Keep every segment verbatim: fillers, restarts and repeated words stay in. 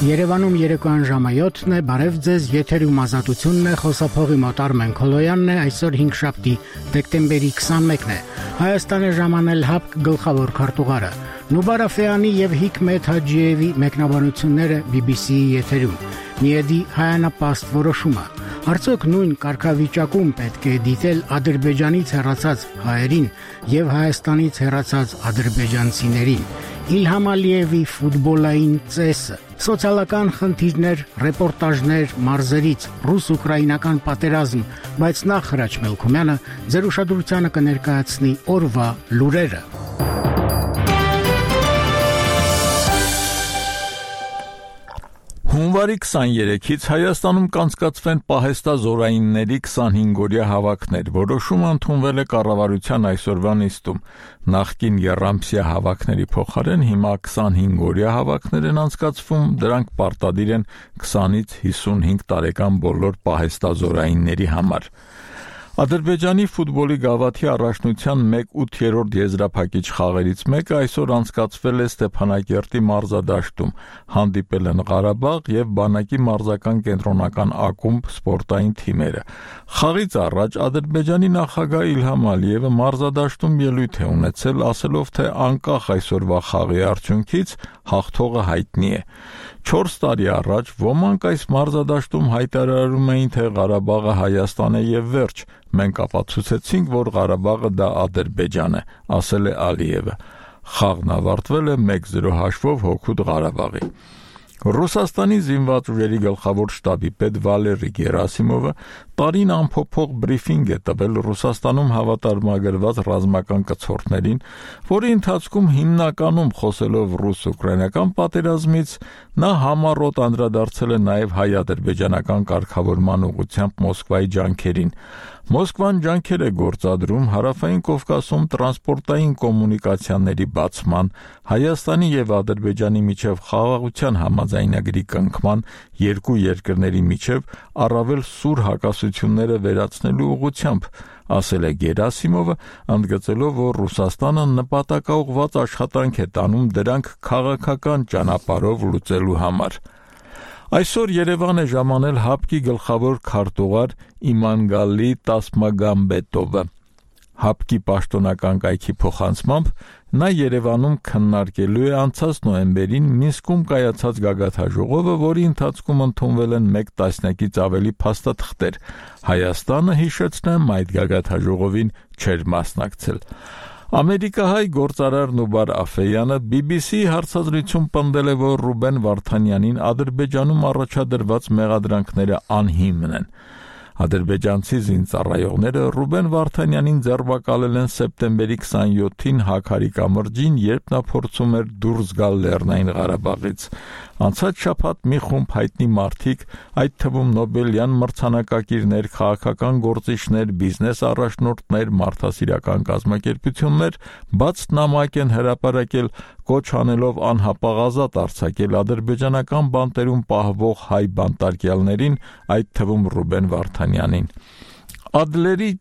Երևանում երեկոյան ժամը յոթն է, բարև ձեզ, եթերում ազատությունն է, խոսափողի մոտ Արմեն Քոլոյանն է, այսօր հինգշաբթի, դեկտեմբերի քսանմեկն է, Հայաստանը ժամանել հապկ գլխավոր քարտուղարը, Նուբար Աֆեյանի և Հիկմետ Հաջիևի մեկնաբանությունները բի բի սի-ի եթերում, Միեդի հայանապաստ որոշումը, արդյոք նույն կարգավիճակում պետք է դիտել Ադրբեջանից հեռացած հայերին և Հայաստանից հեռացած ադրբեջանցիներին, Իլհամ Ալիևի ֆուտբոլային ծեսը, սոցիալական խնդիրներ, ռեպորտաժներ մարզերից, ռուս-ուկրաինական պատերազմ, բայց նախ Հրաչ Մելքումյանը ձեր ուշադրությանը կներկայացնի օրվա լուրերը։ Հունվարի քսաներեքից Հայաստանում կանցկացվեն պահեստազորայինների քսանհինգօրյա հավաքներ, որոշումը ընդունվել է կառավարության այսօրվա նիստում, նախկին եռամսյա հավաքների փոխարեն հիմա քսանհինգօրյա հավաքներ են անցկացվում, դրանք պարտադիր են քսանից հիսունհինգ տարեկան բոլոր պահեստազորայինների համար։ Ադրբեջանի ֆուտբոլի գավաթի առաջնության մեկ ութերորդ եզրափակիչ խաղերից մեկը այսօր անցկացվել է Ստեփանակերտի մարզադաշտում, հանդիպել են Ղարաբաղ և Բանակի մարզական կենտրոնական ակումբ սպորտային թիմերը։ Խաղից առաջ Ադրբեջանի նախագահ Իլհամ Ալիևը մարզադաշտում ելույթ է ունեցել, ասելով, թե անկախ այսօրվա խաղի արդյունքից հաղթողը հայտնի է։ Չորս տարի առաջ ոմանք այս մարզադաշտում հայտարարում էին, թե Ղարաբաղը Հայաստան է և վերջ, մենք ապացուցեցինք, որ Ղարաբաղը դա Ադրբեջան է, ասել է Ալիևը։ Խաղն ավարտվել է մեկ զրո հաշվով հօգուտ Ղարաբաղի։ Ռուսաստանի զինված ուժերի գլխավոր շտաբի պետ Վալերի Գերասիմովը տարին ամփոփող բրիֆինգ է տվել Ռուսաստանում հավատարմագրված ռազմական կցորդներին, որի ընթացքում հիմնականում խոսելով ռուս-ուկրաինական պատերազմից, նա համառոտ անդրադարձել է նաև հայ-ադրբեջանական կարգավորման ուղղությամբ Մոսկվայի ջանքերին։ Մոսկվան ջանքեր է գործադրում Հարավային Կովկասում տրանսպորտային կոմունիկացիաների բացման, Հայաստանի և Ադրբեջանի միջև խաղաղության համաձայնագրի կնքման, երկու երկրների միջև առավել սուր հակասությունները վերացնելու ուղղությամբ, ասել է Գերասիմովը, ընդգծելով, որ Ռուսաստանը նպատակաուղղված աշխատանք է տանում դրանք քաղաքական ճանապարհով լուծելու համար։ Այսօր Երևան է ժամանել հապկի գլխավոր քարտուղար Իմանգալի Տասմագամբետովը։ Հապկի պաշտոնական կայքի փոխանցմամբ նա Երևանում քննարկելու է անցած նոյեմբերին Մինսկում կայացած գագաթնաժողովը, որի ընթացքում ընդունվել են մեկ տասնյակից ավելի փաստաթղթեր։ Հայաստանը, հիշեցնեմ, այդ գագաթնաժողովին չէր մասնակցել։ Ամերիկահայ գործարար Նուբար Աֆեյանը բի բի սի-ի հարցազրույցում պնդել է, որ Ռուբեն Վարդանյանին Ադրբեջանում առաջադրված մեղադրանքները անհիմն են։ Ադրբեջանցի զինծառայողները Ռուբեն Վարդանյանին ձերբակալել են սեպտեմբերի քսանյոթին Հաքարի կամրջին, երբ նա փորձում էր դուրս գալ Լեռնային Ղարաբաղից։ Անցած շաբաթ մի խումբ հայտնի մարդիկ, այդ թվում Նոբելյան մրցանակակիրներ, քաղաքական գործիչներ, բիզնես առաջնորդներ, մարդասիրական կազմակերպություններ բաց նամակ են հրապարակել, կոչ անելով անհապաղ ազատ արձակել ադրբեջանական բանտերում պահվող հայ բանտարկյալներին, այդ թվում Ռուբեն Վարդանյանին։ Ադլերի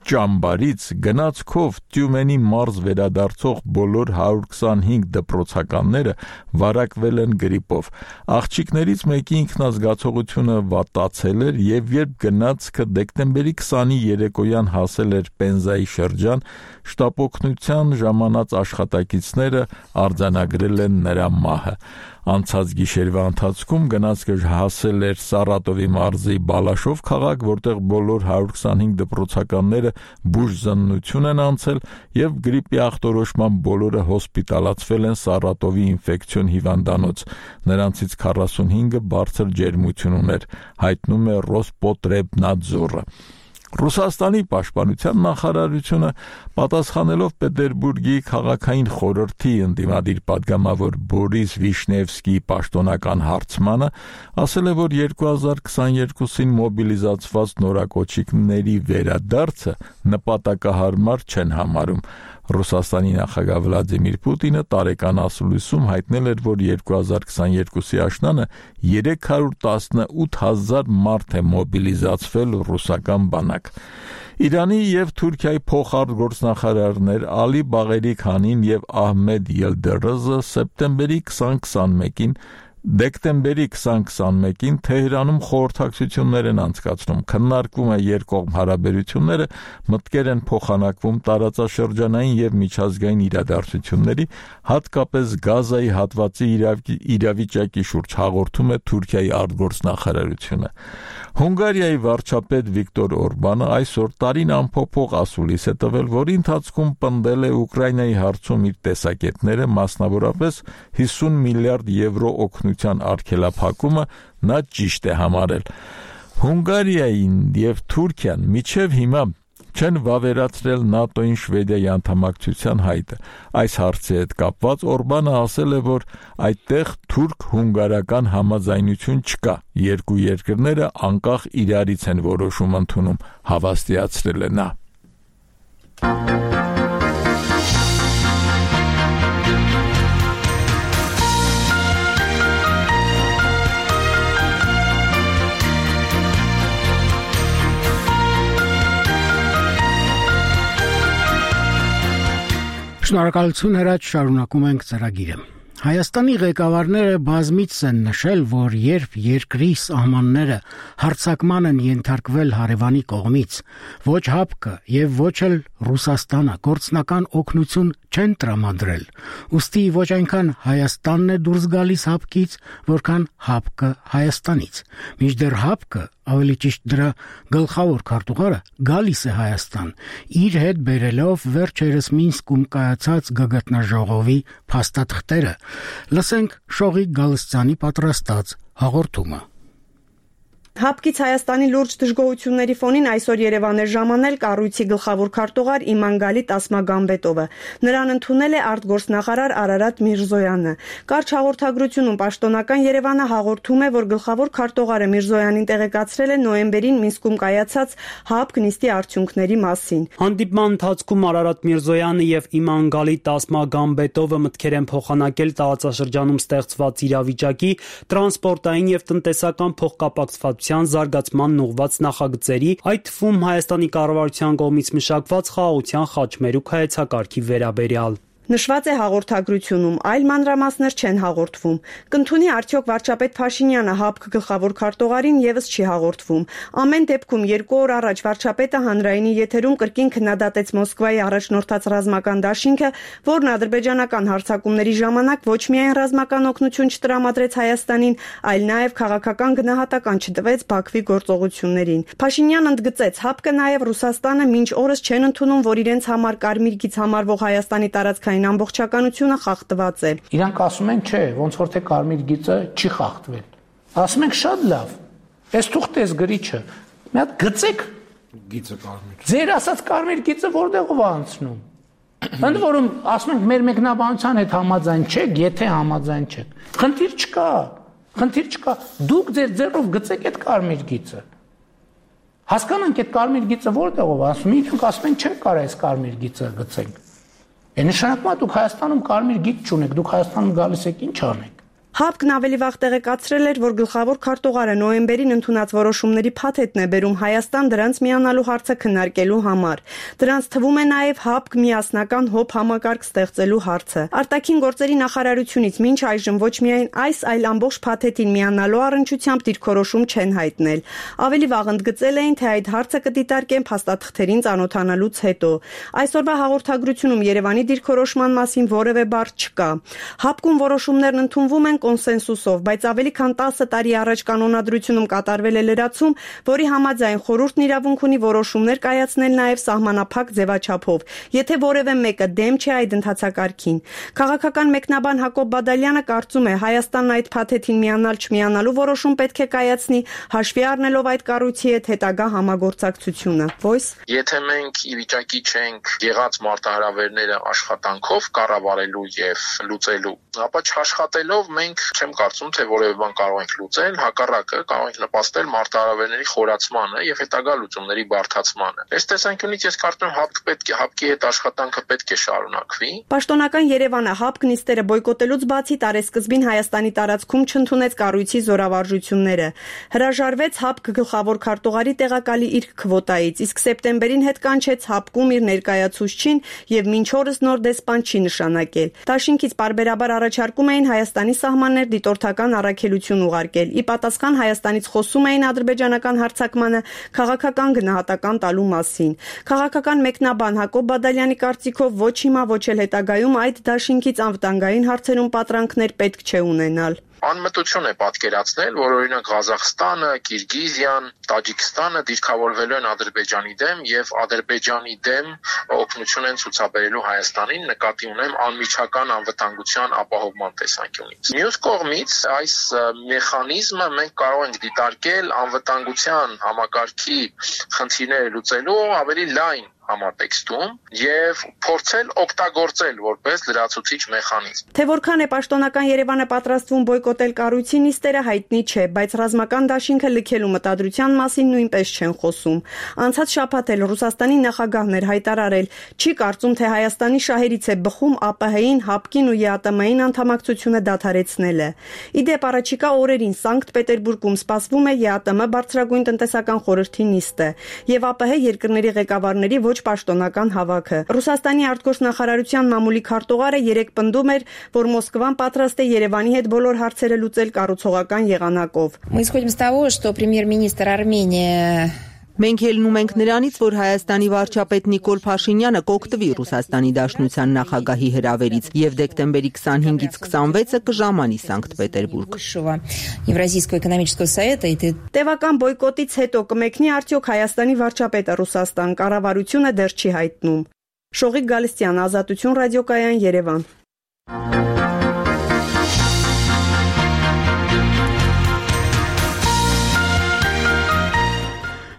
ճամբարից գնացքով Տյումենի մարզ վերադարձող բոլոր հարյուր քսանհինգ դպրոցականները վարակվել են գրիպով։ Աղջիկներից մեկի ինքնազգացողությունը վատացել էր, և երբ գնացքը դեկտեմբերի քսանի երեկոյան հասել էր Պենզայի շրջան, շտապօգնության ժամանած աշխատակիցները արձանագրել են նրա մահը։ Անցած գիշերվա ընթացքում գնացքը հասել էր Սարատովի մարզի Բալաշով քաղաք, որտեղ բոլոր հարյուր քսանհինգ դպրոցականները բուժզննություն են անցել և գրիպի ախտորոշմամբ բոլորը հոսպիտալացվել են Սարատովի ինֆեկցիոն հիվանդանոց, նրանցից քառասունհինգը բարձր ջերմություն ուներ, հայտնում է Ռոսպոտրեբնադզորը։ Ռուսաստանի պաշտպանության նախարարությունը, պատասխանելով Պետերբուրգի քաղաքային խորհրդի ընդդիմադիր պատգամավոր Բորիս Վիշնևսկիի պաշտոնական հարցմանը, ասել է, որ երկու հազար քսաներկուսին մոբիլիզացված նորակոչիկների վերադարձը նպատակահարմար չեն համարում։ Ռուսաստանի նախագահ Վլադիմիր Պուտինը տարեկան ասուլիսում հայտնել էր, որ երկու հազար քսաներկուսի աշնանը երեք հարյուր տասնութ հազար մարդ է մոբիլիզացվել ռուսական բանակ։ Իրանի և Թուրքիայի փոխարտգործնախարարներ Ալի Բաղերի Քանին և Ահմեդ Ելդերոզը սեպտեմբերի քսան քսանմեկին Դեկտեմբերի քսան-քսանմեկին Թեհրանում խորհրդակցություններ են անցկացնում, քննարկվում է երկկողմ հարաբերությունները, մտքեր են փոխանակվում տարածաշրջանային եւ միջազգային իրադարձությունների, հատկապես Գազայի հատվածի իրավիճակի շուրջ հաղորդում է Թուրքիայի արտգործնախարարությունը։ Հունգարիայի վարչապետ Վիկտոր Օրբանը այսօր տարին ամփոփող ասուլիս է տվել, որի ընթացքում պնդել է Ուկրաինայի հարցում իր տեսակետները, մասնավորապես հիսուն միլիարդ եվրո օգնության արգելափակումը նա ճիշտ է համարել։ Հունգարիային եւ Թուրքիան մինչեւ հիմա չեն վավերացրել ՆԱՏՕ-ին Շվեդիայի անդամակցության հայտը։ Այս հարցի հետ կապված Օրբանը ասել է, որ այդտեղ թուրք-հունգարական համաձայնություն չկա, երկու երկրները անկախ իրարից են որոշում ընդունում, հավաստիացրել է նա։ Շնորհակալություն հրաչ, շարունակում ենք ծրագիրը։ Հայաստանի ղեկավարները բազմիցս են նշել, որ երբ երկրի սահմանները հարձակման են ենթարկվել հարևանի կողմից, ոչ ՀԱՊԿ եւ ոչ էլ Ռուսաստանը գործնական օգնություն չեն տրամադրել, ուստի ոչ այնքան Հայաստանն է դուրս գալիս ՀԱՊԿ-ից, որքան ՀԱՊԿ-ը Հայաստանից։ Մինչդեռ ՀԱՊԿ-ը, ավելի ճիշտ դրա գլխավոր քարտուղարը, գալիս է Հայաստան, իր հետ բերելով վերջերս Մինսկում կայացած գագաթնաժողովի փաստաթղթերը։ Լսենք Շողիկ Գալստյանի պատրաստած հաղորդումը։ ՀԱՊԿ-ից Հայաստանի լուրջ դժգոհությունների ֆոնին այսօր Երևան էր ժամանել կառույցի գլխավոր քարտուղար Իմանգալի Տասմագամբետովը։ Նրան ընդունել է արտգործնախարար Արարատ Միրզոյանը։ Կարճ հաղորդագրությունում պաշտոնական Երևանը հաղորդում է, որ գլխավոր քարտուղարը Միրզոյանին տեղեկացրել է նոյեմբերին Մինսկում կայացած ՀԱՊԿ նիստի արդյունքների մասին։ Հանդիպման ընթացքում Արարատ Միրզոյանը եւ Իմանգալի Տասմագամբետովը մտքեր են փոխանակել տարածաշրջանում ստեղծված իրավիճակի, տրանսպորտային եւ տնտեսական փոխկապակցված զարգացման ուղղված նախագծերի, այդ թվում Հայաստանի կառավարության կողմից մշակված խաղաղության խաչմերուկ հայեցակարգի վերաբերյալ։ Նշված է հաղորդագրությունում, այլ մանրամասներ չեն հաղորդվում։ Կընդունի արդյոք վարչապետ Փաշինյանը ՀԱՊԿ գլխավոր քարտուղարին եւս չի հաղորդվում։ Ամեն դեպքում երկու օր առաջ վարչապետը հանրայինի եթերում կրկին քննադատեց Մոսկվայի առաջնորդած ռազմական դաշինքը, որն ադրբեջանական հարձակումների ժամանակ ոչ միայն ռազմական օգնություն չտրամադրեց Հայաստանին, այլ նաեւ քաղաքական գնահատական չտվեց Բաքվի գործողություններին։ Փաշինյանն ընդգծեց, ՀԱՊԿ-ը նաեւ Ռուսաստանը մինչ օրս չեն ընդունում, որ իրենց համար կարմիր գիծ համարվող Հայաստանի տարածքային ամբողջականությունը խախտված է։ Իրանք ասում են, չէ, ոնց որ թե կարմիր գիծը չի խախտվել։ Ասում ենք շատ լավ։ Այս թուղթը էս գրիչը։ Մի հատ գծեք գիծը կարմիր։ Ձեր ասած կարմիր գիծը որտեղով է անցնում։ Ընդ որում ասում ենք մեր մեկնաբանության հետ համաձայն չեք, եթե համաձայն չեք։ Խնդիր չկա։ Խնդիր չկա։ Դուք ձեր ձեռով գծեք այդ կարմիր գիծը։ Հասկանանք այդ կարմիր գիծը որտեղով է, ասում ենք, ասում են չենք կարող այս կարմիր գիծը գծենք։ Է նշանակում է դուք Հայաստանում կարմիր գիծ չունեք, դուք Հայաստանում գալիս եք ինչ անեք։ ՀԱՊԿ-ն ավելի վաղ տեղեկացրել էր, որ գլխավոր քարտուղարը նոյեմբերին ընդունած որոշումների փաթեթն է բերում Հայաստան դրանց միանալու հարցը քննարկելու համար։ Դրանց թվում է նաև ՀԱՊԿ միասնական հոբ համակարգ ստեղծելու հարցը։ Արտաքին գործերի նախարարությունից մինչ այժմ ոչ միայն այս, այլ ամբողջ փաթեթին միանալու առնչությամբ դիրքորոշում չեն հայտնել։ Ավելի վաղ ընդգծել էին, թե այդ հարցը կդիտարկեն փաստաթղթերին ծանոթանալուց հետո։ Այսօրվա հաղորդագրությունում Երևանի դիրքորոշման մասին որևէ բառ չկա։ ՀԱՊԿ-ում որոշումներն ընդունվում են կոնսենսուսով, բայց ավելի քան տասը տարի առաջ կանոնադրությունում կատարվել է լրացում, որի համաձայն խորհուրդն իրավունք ունի որոշումներ կայացնել նաև սահմանափակ ձևաչափով, եթե որևէ մեկը դեմ չէ այդ ընթացակարգին։ Քաղաքական մեկնաբան Հակոբ Բադալյանը կարծում է, Հայաստանն այդ փաթեթին միանալ չմիանալու որոշում պետք է կայացնի, հաշվի առնելով այդ կառույցի հետ հետագա համագործակցությունը։ Voice. Եթե մենք ի վիճակի չենք եղած մարտահրավերները աշխատանքով կառավարելու եւ լուծելու, ապա չաշխատելով մենք չեմ կարծում, թե որևէ բան կարող ենք լուծել, հակառակը կարող ենք նպաստել մարտահրավերների խորացմանը եւ հետագա լուծումների բարդացմանը։ Այս տեսանկյունից ես կարծում եմ ՀԱՊԿ պետք է ՀԱՊԿ-ի հետ աշխատանքը պետք է շարունակվի։ Պաշտոնական Երևանը ՀԱՊԿ նիստերը բոյկոտելուց բացի տարեսկզբին Հայաստանի տարածքում չընդունեց կառույցի զորավարժությունները։ Հրաժարվեց ՀԱՊԿ գլխավոր քարտուղարի տեղակալի իր քվոտայից, իսկ սեպտեմբերին հետ կանչեց ՀԱՊԿ-ում իր ներկայացուցչին եւ մինչ օրս նոր դեսպան չի նշանակել։ Դաշինքից պարբերաբար առաջարկում էին Հայաստանի սահման սահմաններ դիտորդական առաքելություն ուղարկել։ Ի պատասխան Հայաստանից խոսում էին ադրբեջանական հարձակմանը քաղաքական գնահատական տալու մասին։ Քաղաքական մեկնաբան Հակոբ Բադալյանի կարծիքով ոչ հիմա, ոչ էլ հետագայում այդ դաշինքից անվտանգային հարցերում պատրանքներ պետք չէ ունենալ։ Անմտություն է պատկերացնել, որ օրինակ Ղազախստանը, Կիրգիզիան, Տաջիկստանը դիրքավորվելու են Ադրբեջանի դեմ եւ Ադրբեջանի դեմ օգնություն են ցուցաբերելու Հայաստանին, նկատի ունեմ անմիջական անվտանգության ապահովման տեսանկյունից։ Մյուս կողմից այս մեխանիզմը մենք կարող ենք դիտարկել անվտանգության համակարգի խնդիրները լուծելու ավելի լայն համատեքստում եւ փորձել օգտագործել որպես լրացուցիչ մեխանիզմ։ Թե որքան է պաշտոնական Երևանը պատրաստվում բոյկոտել կառույցի նիստերը հայտնի չէ, բայց ռազմական դաշինքը լքելու մտադրության մասին նույնպես չեն խոսում։ Անցած շաբաթ էլ Ռուսաստանի նախագահն էր հայտարարել, չի կարծում, թե Հայաստանի շահերից է բխում ԱՊՀ-ին, ՀԱՊԿ-ին ու ԵԱՏՄ-ին անդամակցությունը դադարեցնելը։ Իդեպ առաջիկա օրերին Սանկտ Պետերբուրգում սպասվում է ԵԱՏՄ բարձրագույն տնտեսական խորհրդի նիստը եւ ԱՊՀ երկրների ղեկավարների ոչ պաշտոնական հավաքը։ Ռուսաստանի արտգործնախարարության մամուլի քարտուղարը երեկ պնդում էր, որ Մոսկվան պատրաստ է Երևանի հետ բոլոր հարցերը լուծել կառուցողական եղանակով։ Мы исходим с того, что премьер-министр Армении Մենք ելնում ենք նրանից, որ Հայաստանի վարչապետ Նիկոլ Փաշինյանը կօգտվի Ռուսաստանի Դաշնության նախագահի հրավերից եւ դեկտեմբերի քսանհինգից քսանվեցը կժամանի Սանկտ Պետերբուրգ։ Евразийского экономического совета и Տևական բոյկոտից հետո կմեկնի արդյոք Հայաստանի վարչապետը Ռուսաստան, կառավարությունը դեռ չի հայտնում։ Շողիկ Գալստյան, Ազատություն ռադիոկայան, Երևան։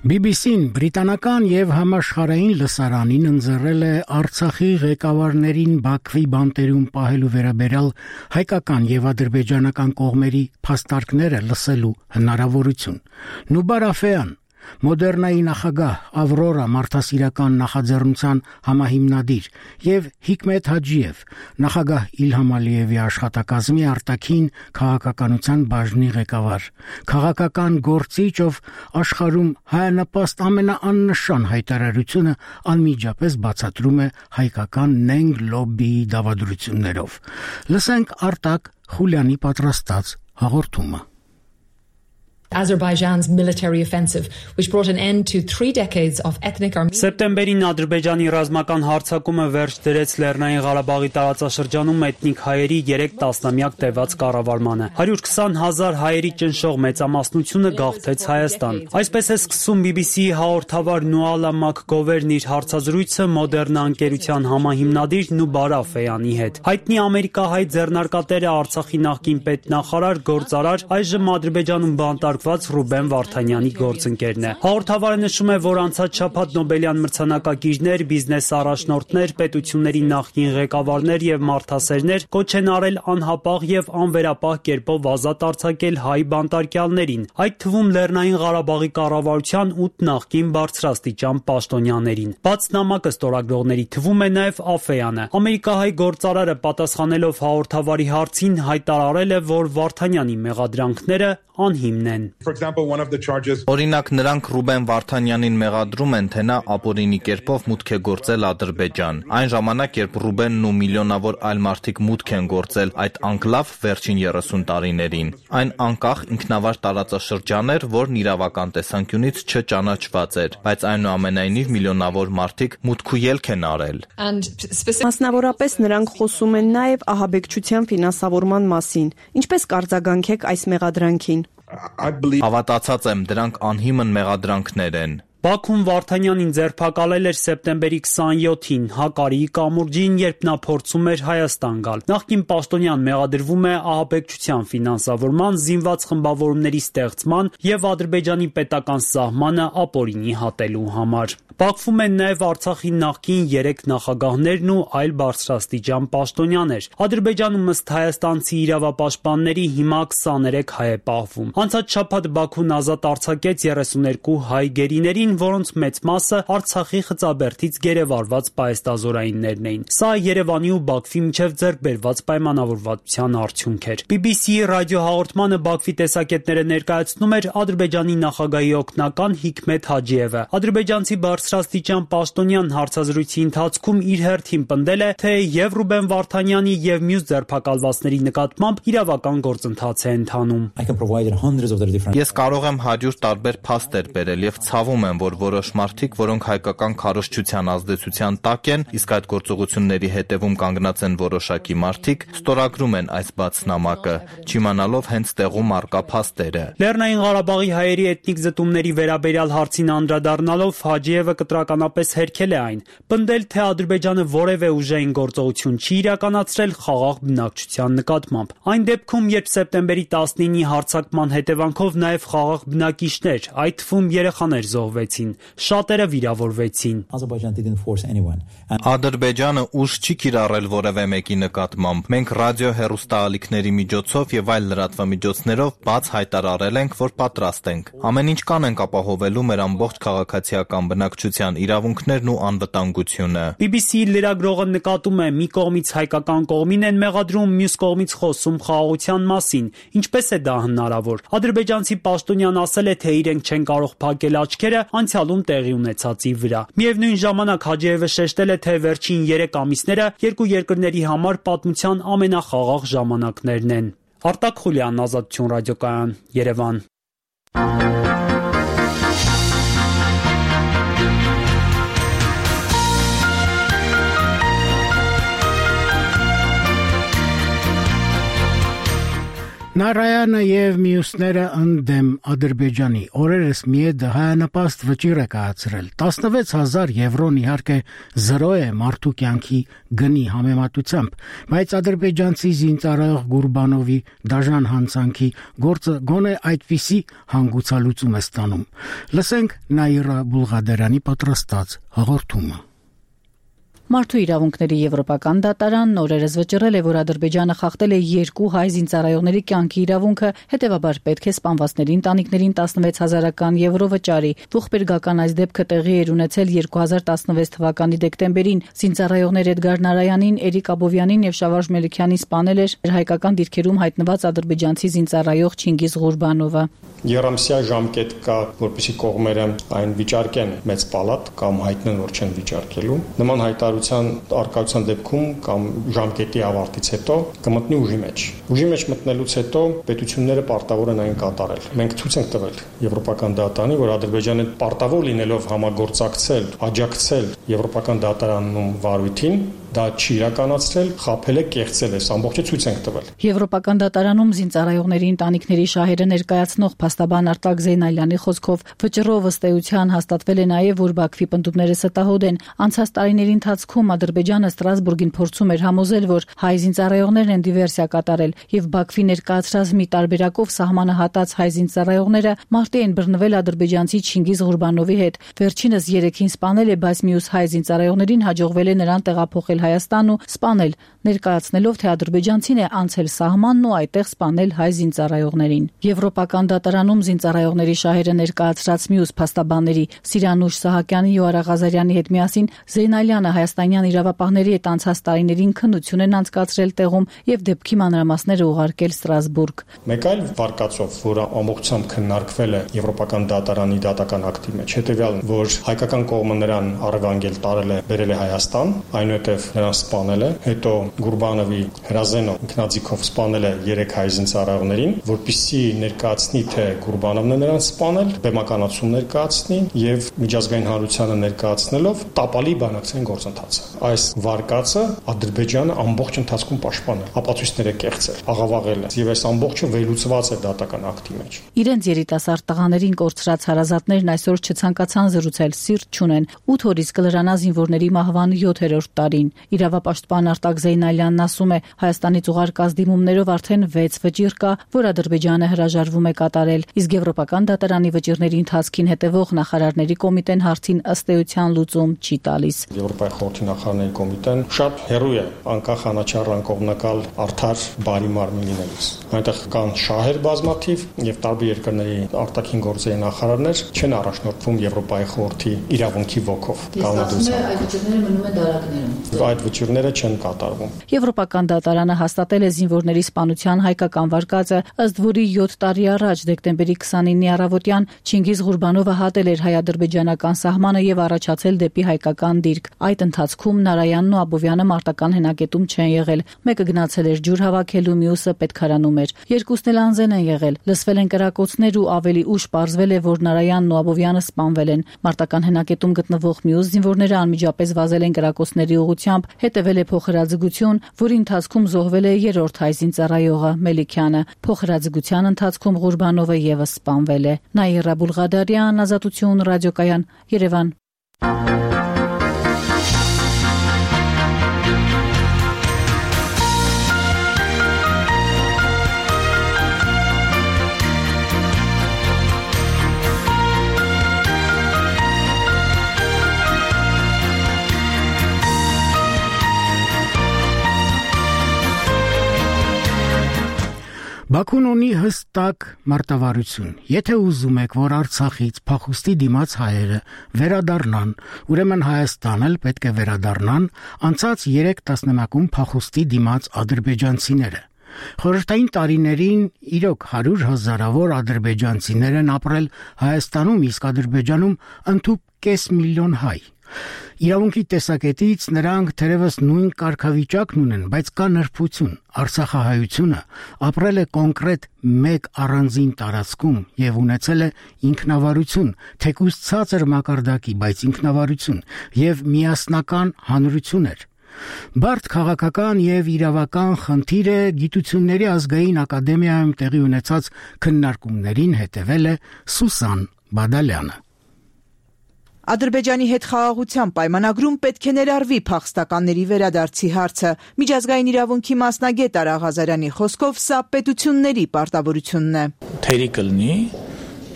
բի բի սին բրիտանական եւ համաշխարհային լսարանին ընձեռել է Արցախի ղեկավարներին Բաքվի բանտերում պահելու վերաբերյալ հայկական եւ ադրբեջանական կողմերի փաստարկները լսելու հնարավորություն։ Նուբար Աֆեյան, Մոդեռնայի նախագահ, Ավրորա մարդասիրական նախաձեռնության համահիմնադիր եւ Հիկմետ Հաջիև, նախագահ Իլհամ Ալիևի աշխատակազմի արտաքին քաղաքականության բաժնի ղեկավար, քաղաքական գործիչ, ով աշխարհում հայանպաստ ամենաաննշան հայտարարությունը անմիջապես բացատրում է հայկական նենգ լոբբիի դավադրություններով։ Լսենք Արտակ Խուլյանի պատրաստած հաղորդումը։ Azerbaijan's military offensive, which brought an end to three decades of ethnic Armenian. Սեպտեմբերին Ադրբեջանի ռազմական հարձակումը վերջ դրեց Լեռնային Ղարաբաղի տարածաշրջանում էթնիկ հայերի երեք տասնամյակ տևած կառավարմանը։ հարյուր քսան հազար հայերի ճնշող մեծամասնությունը գաղթեց Հայաստան։ Այսպես է սկսում բի բի սի-ի հաղորդավար Նուալա Մակգովերն իր հարցազրույցը Մոդեռնա ընկերության համահիմնադիր Նուբար Աֆեյանի հետ։ Հայտնի ամերիկահայ ձեռնարկատերը Արցախի նախկին պետնախարար, գործարար, այժմ Ադրբեջանում բանտարկված Ռուբեն Վարդանյանի գործընկերն է։ Հաղորդավարը նշում է, որ անցած շաբաթ Նոբելյան մրցանակակիրներ, բիզնես առաջնորդներ, պետությունների նախկին ղեկավարներ եւ մարդասերներ կոչ են արել անհապաղ եւ անվերապահ կերպով ազատ արձակել հայ բանտարկյալներին, այդ թվում Լեռնային Ղարաբաղի կառավարության ութ նախկին բարձրաստիճան պաշտոնյաներին։ Բաց նամակը ստորագրողների թվում է նաեւ Աֆեյանը։ Ամերիկահայ գործարարը պատասխանելով հաղորդավարի հարցին հայտարարել է, որ Վարդանյանի մեղադրանքները անհիմն են։ Օրինակ նրանք Ռուբեն Վարդանյանին մեղադրում են, թե նա ապօրինի կերպով մուտք է գործել Ադրբեջան։ Այն ժամանակ, երբ Ռուբենն ու միլիոնավոր այլ մարդիկ մուտք են գործել այդ անկլավ վերջին երեսուն տարիներին, այն անկախ ինքնավար տարածաշրջան էր, որն իրավական տեսանկյունից չճանաչված էր, բայց այնուամենայնիվ միլիոնավոր մարդիկ մուտք ու ելք են արել։ Մասնավորապես նրանք խոսում են նաև ահաբեկչության ֆինանսավորման մասին։ Ինչպես կարձագանքեք այս մեղադրանքին։ Հավատացած եմ, դրանք անհիմն մեղադրանքներ են։ Բաքուն Վարդանյանին ձերբակալել էր սեպտեմբերի քսանյոթին Հակարիի կամուրջին, երբ նա փորձում էր Հայաստան գալ։ Նախկին պաշտոնյան մեղադրվում է ահաբեկչության ֆինանսավորման, զինված խմբավորումների ստեղծման եւ Ադրբեջանի պետական սահմանը ապօրինի հատելու համար։ Բաքվում են նաև Արցախի նախկին երեք նախագահներն ու այլ բարձրաստիճան պաշտոնյաներ։ Ադրբեջանում ըստ հայաստանցի իրավապաշտպանների հիմա քսաներեք հայ է պահվում։ Անցած շաբաթ Բաքուն ազատ արձակեց երեսուներկու հայ գերիներին, որոնց մեծ մասը Արցախի Խծաբերդից գերեվարված պահեստազորայիններն էին։ Սա Երևանի ու Բաքվի միջև ձեռք բերված պայմանավորվածության արդյունք էր։ բի բի սի-ի ռադիոհաղորդմանը Բաքվի տեսակետները ներկայացնում էր Ադրբեջանի նախագահի օգնական Հիկմետ Հաջիևը։ Ադրբեջանցի բարձրաստիճան պաշտոնյան հարցազրույցի ընթացքում իր հերթին պնդել է, թե եւ Ռուբեն Վարդանյանի եւ մյուս ձերբակալվածների նկատմամբ իրավական գործընթաց է ընթանում։ Ես կարող եմ հարյուր տարբեր փաստեր բերել եւ ցավում եմ, որ որոշ մարդիկ, որոնք հայկական քարոզչության ազդեցության տակ են, իսկ այդ գործողությունների հետևում կանգնած են որոշակի մարդիկ, ստորագրում են այս բացնամակը, չիմանալով հենց տեղում առկա փաստերը։ Լեռնային Ղարաբաղի հայերի էթնիկ զտումների վերաբերյալ հարցին անդրադառնալով Հաջիևը կտրականապես հերքել է այն, պնդել, թե Ադրբեջանը որևէ ուժային գործողություն չի իրականացրել խաղաղ բնակչության նկատմամբ։ Այն դեպքում, երբ սեպտեմբերի տասնինի հարձակման հետևանքով նաև խաղաղ բնակիչներ, այդ թվում երեխաներ զոհվեցին, շատերը վիրավորվեցին։ Ադրբեջանը ուժ չի կիրառել որևէ մեկի նկատմամբ։ Մենք ռադիո-հեռուստաալիքների միջոցով եւ այլ լրատվամիջոցներով բաց հայտարարել ենք, որ պատրաստ ենք։ Ամեն ինչ կանենք ապահովելու մեր ամբողջ քաղաքացիական բնակչության իրավունքներն ու անվտանգությունը։ բի բի սի-ի լրագրողը նկատում է, մի կողմից հայկական կողմին են մեղադրում, մյուս կողմից խոսում խաղաղության մասին։ Ինչպես է դա հնարավոր։ Ադրբեջանցի պաշտոնյան ասել է, թե իրենք չեն կարող փակել աչքերը անցյալում տեղի ունեցածի վրա։ Միևնույն ժամանակ Հաջիևը շեշտել է, թե վերջին երեք ամիսները երկու երկրների համար պատմության ամենախաղաղ ժամանակներն են։ Արտակ Խուլյան, Ազատություն ռադիոկայան, Երևան։ Նարայանը եւ մյուսները ընդդեմ Ադրբեջանի օրերս միեդը հայանպաստ վճիռ է կայացրել։ տասնվեց հազար եվրոն իհարկե զրո է մարդու կյանքի գնի համեմատությամբ, բայց ադրբեջանցի զինծառայող Գուրբանովի դաժան հանցանքի գործը գոնե այդպիսի հանգուցալուծում է ստանում։ Լսենք Նաիրա Բուլղադերյանի պատրաստած հաղորդումը։ Մարդու իրավունքների եվրոպական դատարանն օրերս վճռել է, որ Ադրբեջանը խախտել է երկու հայ զինծառայողների կյանքի իրավունքը, հետևաբար պետք է սպանվածների ընտանիքներին տասնվեց հազարական եվրո վճարի։ Ողբերգական այս դեպքը տեղի էր ունեցել երկու հազար տասնվեց թվականի դեկտեմբերին։ Զինծառայողներ Էդգար Նարայանին, Էրիկ Աբովյանին եւ Շավարժ Մելիքյանին սպանել էր հայկական դիրքերում հայտնված ադրբեջանցի զինծառայող Չինգիզ Ղուրբանովը։ Երամսյա ժամկետ կա, որպեսզի կողմերը այն վիճարկեն մեծ պալատ կամ հայտնեն, որ չեն վիճարկելու։ Նման հայտարարության արկայության դեպքում կամ ժամկետի ավարտից հետո կմտնի ուժի մեջ։ Ուժի մեջ մտնելուց հետո պետությունները պարտավոր են այն կատարել։ Մենք ցույց ենք տվել Եվրոպական դատարանի, որ Ադրբեջանը պարտավոր լինելով համագործակցել, աջակցել Եվրոպական դատարանում վարույթին, դա չի իրականացրել, խաբել է, կեղծել է, ամբողջը ցույց ենք տվել։ Եվրոպական դատարանում զինծառայողների ընտանիքների շահերը ներկայացնող փաստաբան Արտակ Զեյնալյանի խոսքով վճռով ըստ էության հաստատվել է նաև, որ Բաքվի պնդումները ստահոդ են։ Անցած տարիների ընթացքում Ադրբեջանը Ստրասբուրգին փորձում էր համոզել, որ հայ զինծառայողներն են դիվերսիա կատարել, եւ Բաքվի ներկայացրած մի տարբերակով սահմանը հատած հայ զինծառայողները մարտի են բռնվել ադրբեջանցի Չինգիզ Ղուրբանովի հետ։ Վերջինս երեքին սպանել է, բայց մյուս հայ զինծառայողներին հաջողվել է նրան տեղափոխել Հայաստան ու սպանել, ներկայացնելով, թե ադրբեջանցին է անցել սահմանն ու այդտեղ սպանել հայ զինծառայողներին։ Եվրոպական դատարանում զինծառայողների շահերը ներկայացրած մյուս փաստաբանների Սիրանուշ Սահակյանի ու Արա Ղազարյանի հետ միասին Զեյնալյանը հայաստանյան իրավապահների հետ անցած տարիներին քննություն են անցկացրել տեղում եւ դեպքի մանրամասները ուղարկել Ստրասբուրգ։ Մեկ այլ վարկածով, որը ամբողջությամբ քննարկվել է Եվրոպական դատարանի դատական ակտի մեջ, հետեւյալն, որ հայկական կողմը նրան առևանգել տարել է, բերել է Հայաստան, այնուհետև նրան սպանել է, հետո Գուրբանովի հրազենը ինքնաձիգով սպանել է երեք հայ զինծառայողներին, որպեսզի ներկայացնի, թե Գուրբանովն է նրան սպանել, բեմականացում ներկայացնի եւ միջազգային հանրությանը ներկայացնելով տապալի բանակցային գործընթացը։ Այս վարկածը Ադրբեջանը ամբողջ ընթացքում պաշտպանել, ապացույցները կեղծել, աղավաղել է եւ այս ամբողջը վերլուծված է դատական ակտի մեջ։ Իրենց երիտասարդ տղաներին կորցրած հարազատներն այսօր չցանկացան զրուցել, սիրտ չունեն։ ութ օրից կլրանա զինվորների մահվան յոթերորդ տարին։ Իրավապաշտպան Արտակ Զեյնալյանն ասում է, Հայաստանից ուղարկած դիմումներով արդեն վեց վճիռ կա, որ Ադրբեջանը հրաժարվում է կատարել, իսկ Եվրոպական դատարանի վճիռների ընթացքին հետևող նախարարների կոմիտեն հարցին ըստ էության լուծում չի տալիս։ Եվրոպայի խորհրդի նախարարների կոմիտեն շատ հեռու է անկախ անաչառ անկողմնակալ արդար բարի մարմին լինելուց։ Այնտեղ կան շահեր բազմաթիվ եւ տարբեր երկրների արտաքին գործերի նախարարներ չեն առաջնորդվում Եվրոպայի խորհրդի իրավունքի ոգով։ Այդ վճիռները մնում են դարակներում։ Այդ վճիռները չեն կատարվում։ Եվրոպական դատարանը հաստատել է զինվորների սպանության հայկական վարկածը, ըստ որի յոթ տարի առաջ դեկտեմբերի քսանինի առավոտյան Չինգիզ Ղուրբանովը հատել էր հայ-ադրբեջանական սահմանը եւ առաջացել դեպի հայկական դիրք։ Այդ ընթացքում Նարայանն ու Աբովյանը մարտական հենակետում չեն եղել։ Մեկը գնացել էր ջուր հավաքելու, մյուսը պետքարանում էր։ Երկուսն էլ անզեն են եղել։ Լսվել են կրակոցներ ու ավելի ուշ պարզվել է, որ Նարայանն ու Աբովյանը սպանվել են։ Մարտական հենակետում գտնվող մյուս զինվորները անմիջապես վազել են կրակոցների ուղղությամբ, հետևել է փոխհրաձգություն, որի ընթացքում զոհվել է երրորդ հայ զինծառայողը Մելիքյանը։ Փոխհրաձգության ընթացքում Ղուրբանովը եւս սպանվել է։ Նաիրա Բուլղադարյան, Ազատություն ռադիոկայան, Երևան։ Բաքուն ունի հստակ մարտավարություն։ Եթե ուզում եք, որ Արցախից փախուստի դիմաց հայերը վերադառնան, ուրեմն Հայաստան էլ պետք է վերադառնան անցած երեք տասնամյակում փախուստի դիմաց ադրբեջանցիները։ Խորհրդային տարիներին իրոք հարյուր հազարավոր ադրբեջանցիներ են ապրել Հայաստանում, իսկ Ադրբեջանում ընդհուպ կես միլիոն հայ։ Իրավունքի տեսակետից նրանք թերևս նույն կարգավիճակն ունեն, բայց կա նրբություն։ Արցախահայությունը ապրել է կոնկրետ մեկ առանձին տարածքում եւ ունեցել է ինքնավարություն, թեկուզ ցածր մակարդակի, բայց ինքնավարություն եւ միասնական հանրություն էր։ Բարդ քաղաքական եւ իրավական խնդիրը գիտությունների ազգային ակադեմիայում տեղի ունեցած քննարկումներին հետևել է Սուսան Բադալյանը։ Ադրբեջանի հետ խաղաղության պայմանագրում պետք է ներառվի փախստականների վերադարձի հարցը։ Միջազգային իրավունքի մասնագետ Արա Ղազարյանի խոսքով սա պետությունների պարտավորությունն է։ Թերի կլինի,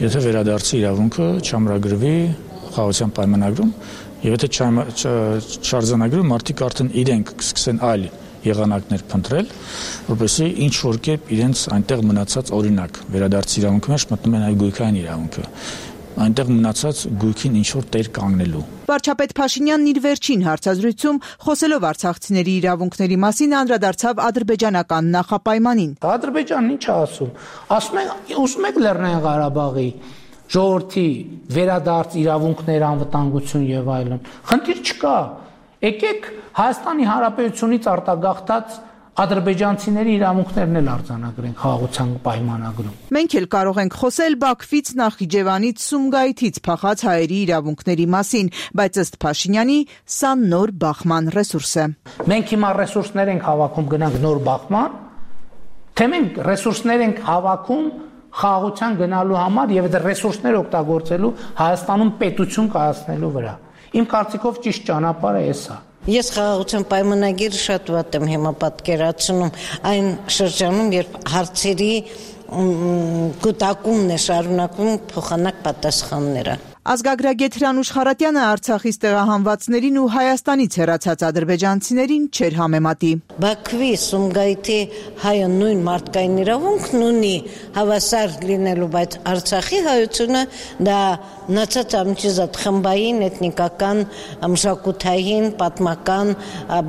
եթե վերադարձի իրավունքը չամրագրվի խաղաղության պայմանագրում, եւ եթե չարձանագրվի, մարդիկ արդեն իրենք կսկսեն այլ եղանակներ փնտրել, որպեսզի ինչ որ կերպ իրենց այնտեղ մնացած օրինակ վերադարձի իրավունքի մեջ մտնում են այլ գույքային իրավունքը։ Այնտեղ մնացած գույքին ինչ-որ տեր կանգնելու։ Վարչապետ Փաշինյանն իր վերջին հարցազրույցում խոսելով արցախցիների իրավունքների մասին անդրադարձավ ադրբեջանական նախապայմանին։ Ադրբեջանն ինչ է ասում։ Ասում են, ուզում եք Լեռնային Ղարաբաղի ժողովրդի վերադարձ իրավունքներ, անվտանգություն եւ այլն։ Խնդիր չկա։ Եկեք Հայաստանի Հանրապետությունից արտագաղթած ադրբեջանցիների իրավունքներն էլ արձանագրենք խաղաղության պայմանագրում։ Մենք էլ կարող ենք խոսել Բաքվից, Նախիջևանից, Սումգայիթից փախած հայերի իրավունքների մասին, բայց ըստ Փաշինյանի սա նոր բախման ռեսուրս է։ Մենք հիմա ռեսուրսներ ենք հավաքում, գնանք նոր բախման, թե մենք ռեսուրսներ ենք հավաքում խաղաղության գնալու համար եւ այդ ռեսուրսները օգտագործելու Հայաստանում պետություն կայացնելու վրա։ Իմ կարծիքով ճիշտ ճանապարհը էս է։ Ես խաղաղության պայմանագիրը շատ վատ եմ հիմա պատկերացնում այն շրջանում, երբ հարցերի կուտակումն է շարունակվում փոխանակ պատասխանները։ Ազգագրագետ Հրանուշ Խարատյանը Արցախից տեղահանվածներին ու Հայաստանից հեռացած ադրբեջանցիներին չէր համեմատի։ Բաքվի, Սումգայիթի հայը նույն մարդկային իրավունքն ունի հավասար լինելու, բայց Արցախի հայությունը դա նացած ամիջազատ խմբային, էթնիկական, մշակութային, պատմական,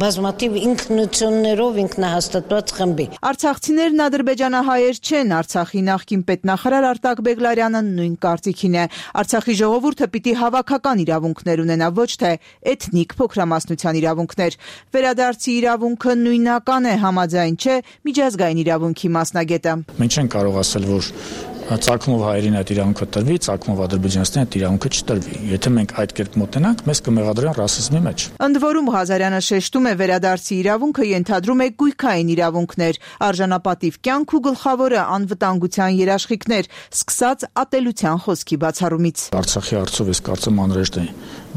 բազմաթիվ ինքնություններով ինքնահաստատված խմբի։ Արցախցիներն ադրբեջանահայեր չեն, Արցախի նախկին պետնախարար Արտակ Բեգլարյանը նույն կարծիքին է։ Արցախի ժողովուրդը պիտի հավաքական իրավունքներ ունենա, ոչ թե էթնիկ փոքրամասնության իրավունքներ։ Վերադարձի իրավունքը նույնական է, համաձայն չէ միջազգային իրավունքի մասնագետը։ Մենք չենք կարող ասել, որ ծագումով հայերին այդ իրավունքը տրվի, ծագումով ադրբեջանցիներին այդ իրավունքը չտրվի։ Եթե մենք այդ կերպ մոտենանք, մեզ կմեղադրեն ռասիզմի մեջ։ Ընդ որում Ղազարյանը շեշտում է, վերադարձի իրավունքը ենթադրում է գույքային իրավունքներ, արժանապատիվ կյանք ու գլխավորը անվտանգության երաշխիքներ, սկսած ատելության խոսքի բացառումից։ Արցախի հարցով ես կարծում անհրաժեշտ է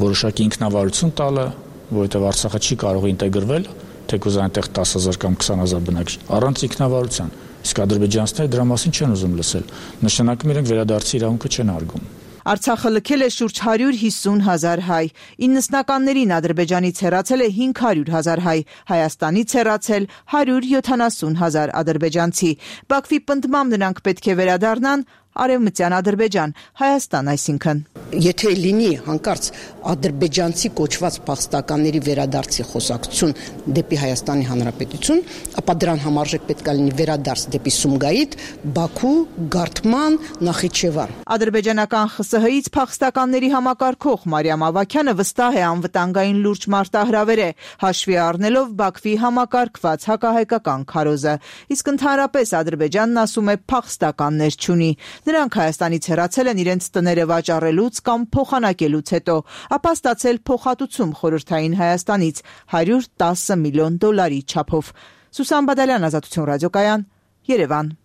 որոշակի ինքնավարություն տալը, որովհետև Արցախը չի կարող ինտեգրվել, թեկուզ այնտեղ տասը հազար կամ քսան հազար բնակիչ, առանց ինքնավարության։ Իսկ ադրբեջանցիները դրա մասին չեն ուզում լսել։ Նշանակում իրենք վերադարձի իրավունքը չեն արգում։ Արցախը լքել է շուրջ հարյուր հիսուն հազար հայ։ իննսնականներին Ադրբեջանից հեռացել է հինգ հարյուր հազար հայ, Հայաստանից հեռացել հարյուր յոթանասուն հազար ադրբեջանցի։ Բաքվի պնդմամբ նրանք պետք է վերադառնան Արևմտյան Ադրբեջան, Հայաստան այսինքն։ Եթե լինի հանկարծ ադրբեջանցի կոչված փախստականների վերադարձի խոսակցություն դեպի Հայաստանի Հանրապետություն, ապա դրան համարժեք պետք է լինի վերադարձ դեպի Սումգայիթ, Բաքու, Գարթման, Նախիջևան։ Ադրբեջանական ԽՍՀ-ից փախստականների համակարգող Մարիամ Ավագյանը վստահ է անվտանգային լուրջ մարտահրավեր է, հաշվի առնելով Բաքվի համակարգված հակահայկական քարոզը։ Իսկ ընդհանրապես Ադրբեջանն ասում է փախստականներ չունի։ Նրանք Հայաստանից հեռացել են իրենց տները վաճառելուց կամ փոխանակելուց հետո, ապա ստացել փոխհատուցում խորհրդային Հայաստանից հարյուր տասը միլիոն դոլարի չափով։ Սուսան Բադալյան, Ազատություն ռադիոկայան, Երևան։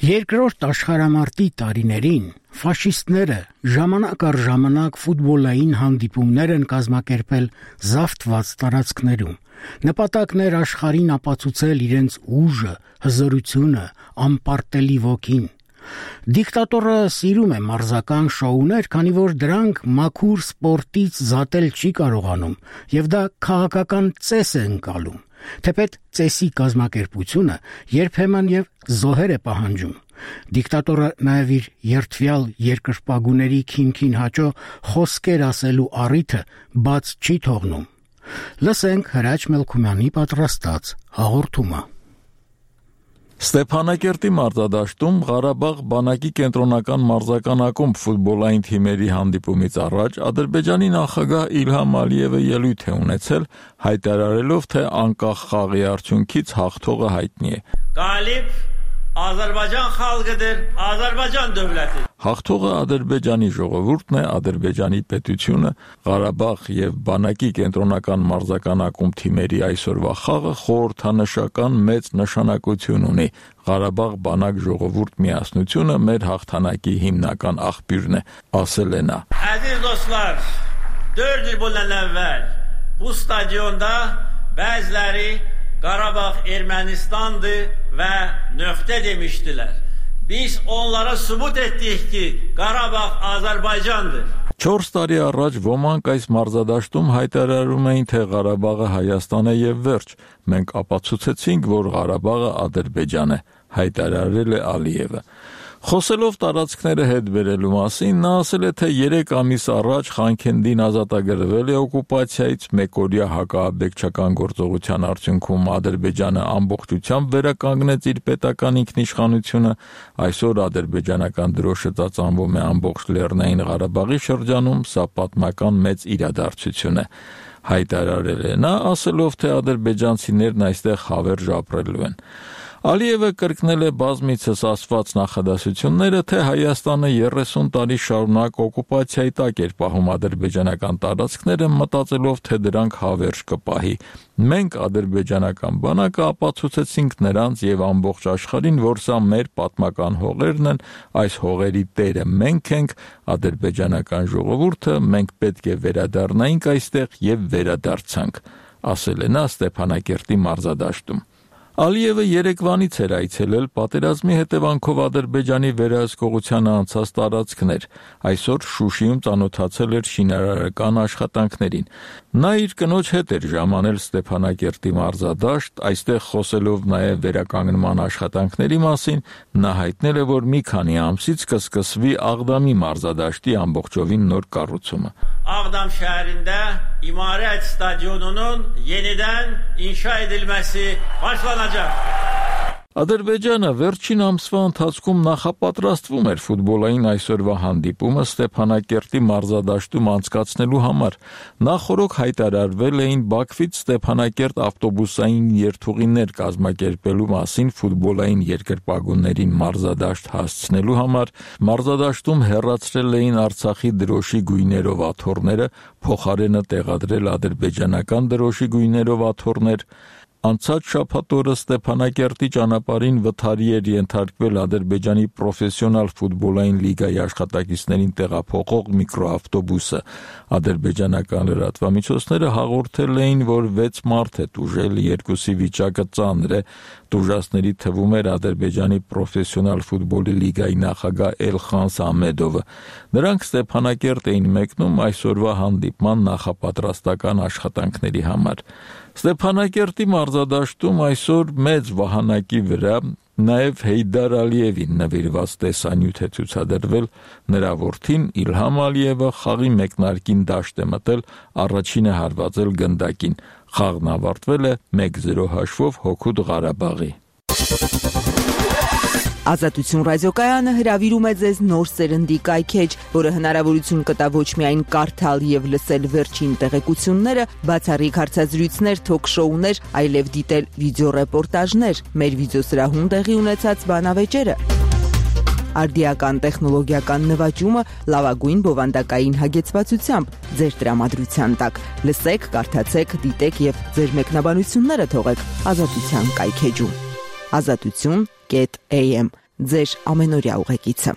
Երկրորդ աշխարհամարտի տարիներին ֆաշիստները ժամանակ առ ժամանակ ֆուտբոլային հանդիպումներ են կազմակերպել զավթված տարածքներում։ Նպատակն էր աշխարհին ապացուցել իրենց ուժը, հզորությունը, անպարտելի ոգին։ Դիկտատորը սիրում է մարզական շոուներ, քանի որ դրանք մաքուր սպորտից զատել չի կարողանում, եւ դա քաղաքական ծես է ընկալում։ Թեպետ ծեսի կազմակերպությունը երբեմն եւ զոհեր է պահանջում։ Դիկտատորը նաև իր երդվյալ երկրպագուների քիմքին հաճո խոսքեր ասելու առիթը բաց չի թողնում։ Լսենք Հրաչ Մելքումյանի պատրաստած հաղորդումը։ Ստեփանակերտի մարզադաշտում Ղարաբաղ բանակի կենտրոնական մարզական ակումբ ֆուտբոլային թիմերի հանդիպումից առաջ Ադրբեջանի նախագահ Իլհամ Ալիևը ելույթ է ունեցել, հայտարարելով, թե անկախ խաղի արդյունքից հաղթողը հայտնի է։ Գալիբ Ադրբեջան խալգıdır, Ադրբեջան դովլեթի։ Հաղթողը Ադրբեջանի ժողովուրդն է, Ադրբեջանի պետությունը, Ղարաբաղ եւ բանակի կենտրոնական մարզական ակումբ թիմերի այսօրվա խաղը խորհրդանշական մեծ նշանակություն ունի։ Ղարաբաղ բանակ ժողովուրդ միասնությունը մեր հաղթանակի հիմնական աղբյուրն է, ասել է նա։ Əziz dostlar, dörd il bundan əvvəl bu stadionda bəziləri Qarabağ Ermənistandı və nöqtə demişdilər. Biz onlara sübut etdik ki, Qarabağ Azərbaycandır. Չորս տարի առաջ ոմանք այս մարզադաշտում հայտարարում էին, թե Ղարաբաղը Հայաստան է եւ վերջ։ Մենք ապացուցեցինք, որ Ղարաբաղը Ադրբեջան է, հայտարարել է Ալիևը։ Խոսելով տարածքները հետ բերելու մասին, նա ասել է, թե երեք ամիս առաջ Խանքենդին ազատագրվել է օկուպացիայից, մեկօրյա հակաաբեկչական գործողության արդյունքում Ադրբեջանը ամբողջությամբ վերականգնեց իր պետական ինքնիշխանությունը, այսօր ադրբեջանական դրոշը ծածանվում է ամբողջ Լեռնային Ղարաբաղի շրջանում, սա պատմական մեծ իրադարձություն է, հայտարարել է նա, ասելով, թե ադրբեջանցիներն այստեղ հավերժ ապրելու են։ Ալիևը կրկնել է բազմիցս ասված նախադասությունները, թե Հայաստանը երեսուն տարի շարունակ օկուպացիայի տակ էր պահում ադրբեջանական տարածքները, մտածելով, թե դրանք հավերժ կպահի։ Մենք ադրբեջանական բանակը ապացուցեցինք նրանց եւ ամբողջ աշխարհին, որ սա մեր պատմական հողերն են, այս հողերի տերը մենք ենք, ադրբեջանական ժողովուրդը, մենք պետք է վերադառնայինք այստեղ եւ վերադարձանք, ասել է նա Ստեփանակերտի մարզադաշտում։ Ալիևը երեկվանից էր այցելել պատերազմի հետևանքով Ադրբեջանի վերահսկողությանը անցած տարածքներ, այսօր Շուշիում ծանոթացել էր շինարարական աշխատանքներին։ Նա իր կնոջ հետ էր ժամանել Ստեփանակերտի մարզադաշտ, այստեղ խոսելով նաև վերականգնման աշխատանքների մասին, նա հայտնել է, որ մի քանի ամսից կսկսվի Աղդամի մարզադաշտի ամբողջովին նոր կառուցումը։ Ağdam şehrinde İmaret Stadyonu'nun yeniden inşa edilmesi başlanacak. Ադրբեջանը վերջին ամսվա ընթացքում նախապատրաստվում էր ֆուտբոլային այսօրվա հանդիպումը Ստեփանակերտի մարզադաշտում անցկացնելու համար։ Նախօրոք հայտարարվել էին Բաքվից Ստեփանակերտ ավտոբուսային երթուղիներ կազմակերպելու մասին ֆուտբոլային երկրպագուներին մարզադաշտ հասցնելու համար։ Մարզադաշտում հեռացրել էին Արցախի դրոշի գույներով աթոռները, փոխարենը տեղադրել ադրբեջանական դրոշի գույներով աթոռներ։ Անցած շաբաթ օրը Ստեփանակերտի ճանապարհին վթարի էր ենթարկվել Ադրբեջանի պրոֆեսիոնալ ֆուտբոլային լիգայի աշխատակիցներին տեղափոխող միկրոավտոբուսը։ Ադրբեջանական լրատվամիջոցները հաղորդել էին, որ վեց մարդ է տուժել, երկուսի վիճակը ծանր է։ Տուժածների թվում էր Ադրբեջանի պրոֆեսիոնալ ֆուտբոլի լիգայի նախագահ Էլխան Սամեդովը։ Նրանք Ստեփանակերտ էին մեկնում այսօրվա հանդիպման նախապատրաստական աշխատանքների համար։ Ստեփանակերտի մարզադաշտում այսօր մեծ վահանակի վրա նաև Հեյդար Ալիևին նվիրված տեսանյութ է ցուցադրվել։ Նրա որդին Իլհամ Ալիևը խաղի մեկնարկին դաշտ է մտել, առաջինը հարվածել գնդակին։ Խաղն ավարտվել է մեկ զիրո հաշվով հօգուտ Ղարաբաղի։ Ազատություն ռադիոկայանը հրավիրում է ձեզ նոր սերնդի կայքեջ, որը հնարավորություն կտա ոչ միայն կարդալ եւ լսել վերջին տեղեկությունները, բացառիկ հարցազրույցներ, թոք-շոուներ, այլև դիտել վիդեոռեպորտաժներ, մեր վիդեոսրահում տեղի ունեցած բանավեճերը։ Արդիական տեխնոլոգիական նվաճումը լավագույն բովանդակային հագեցվածությամբ ձեր տրամադրության տակ։ Լսեք, կարդացեք, դիտեք եւ ձեր մեկնաբանությունները թողեք Ազատության կայքեջում։ Ազատություն am ձեր ամենօրյա ուղեկիցը։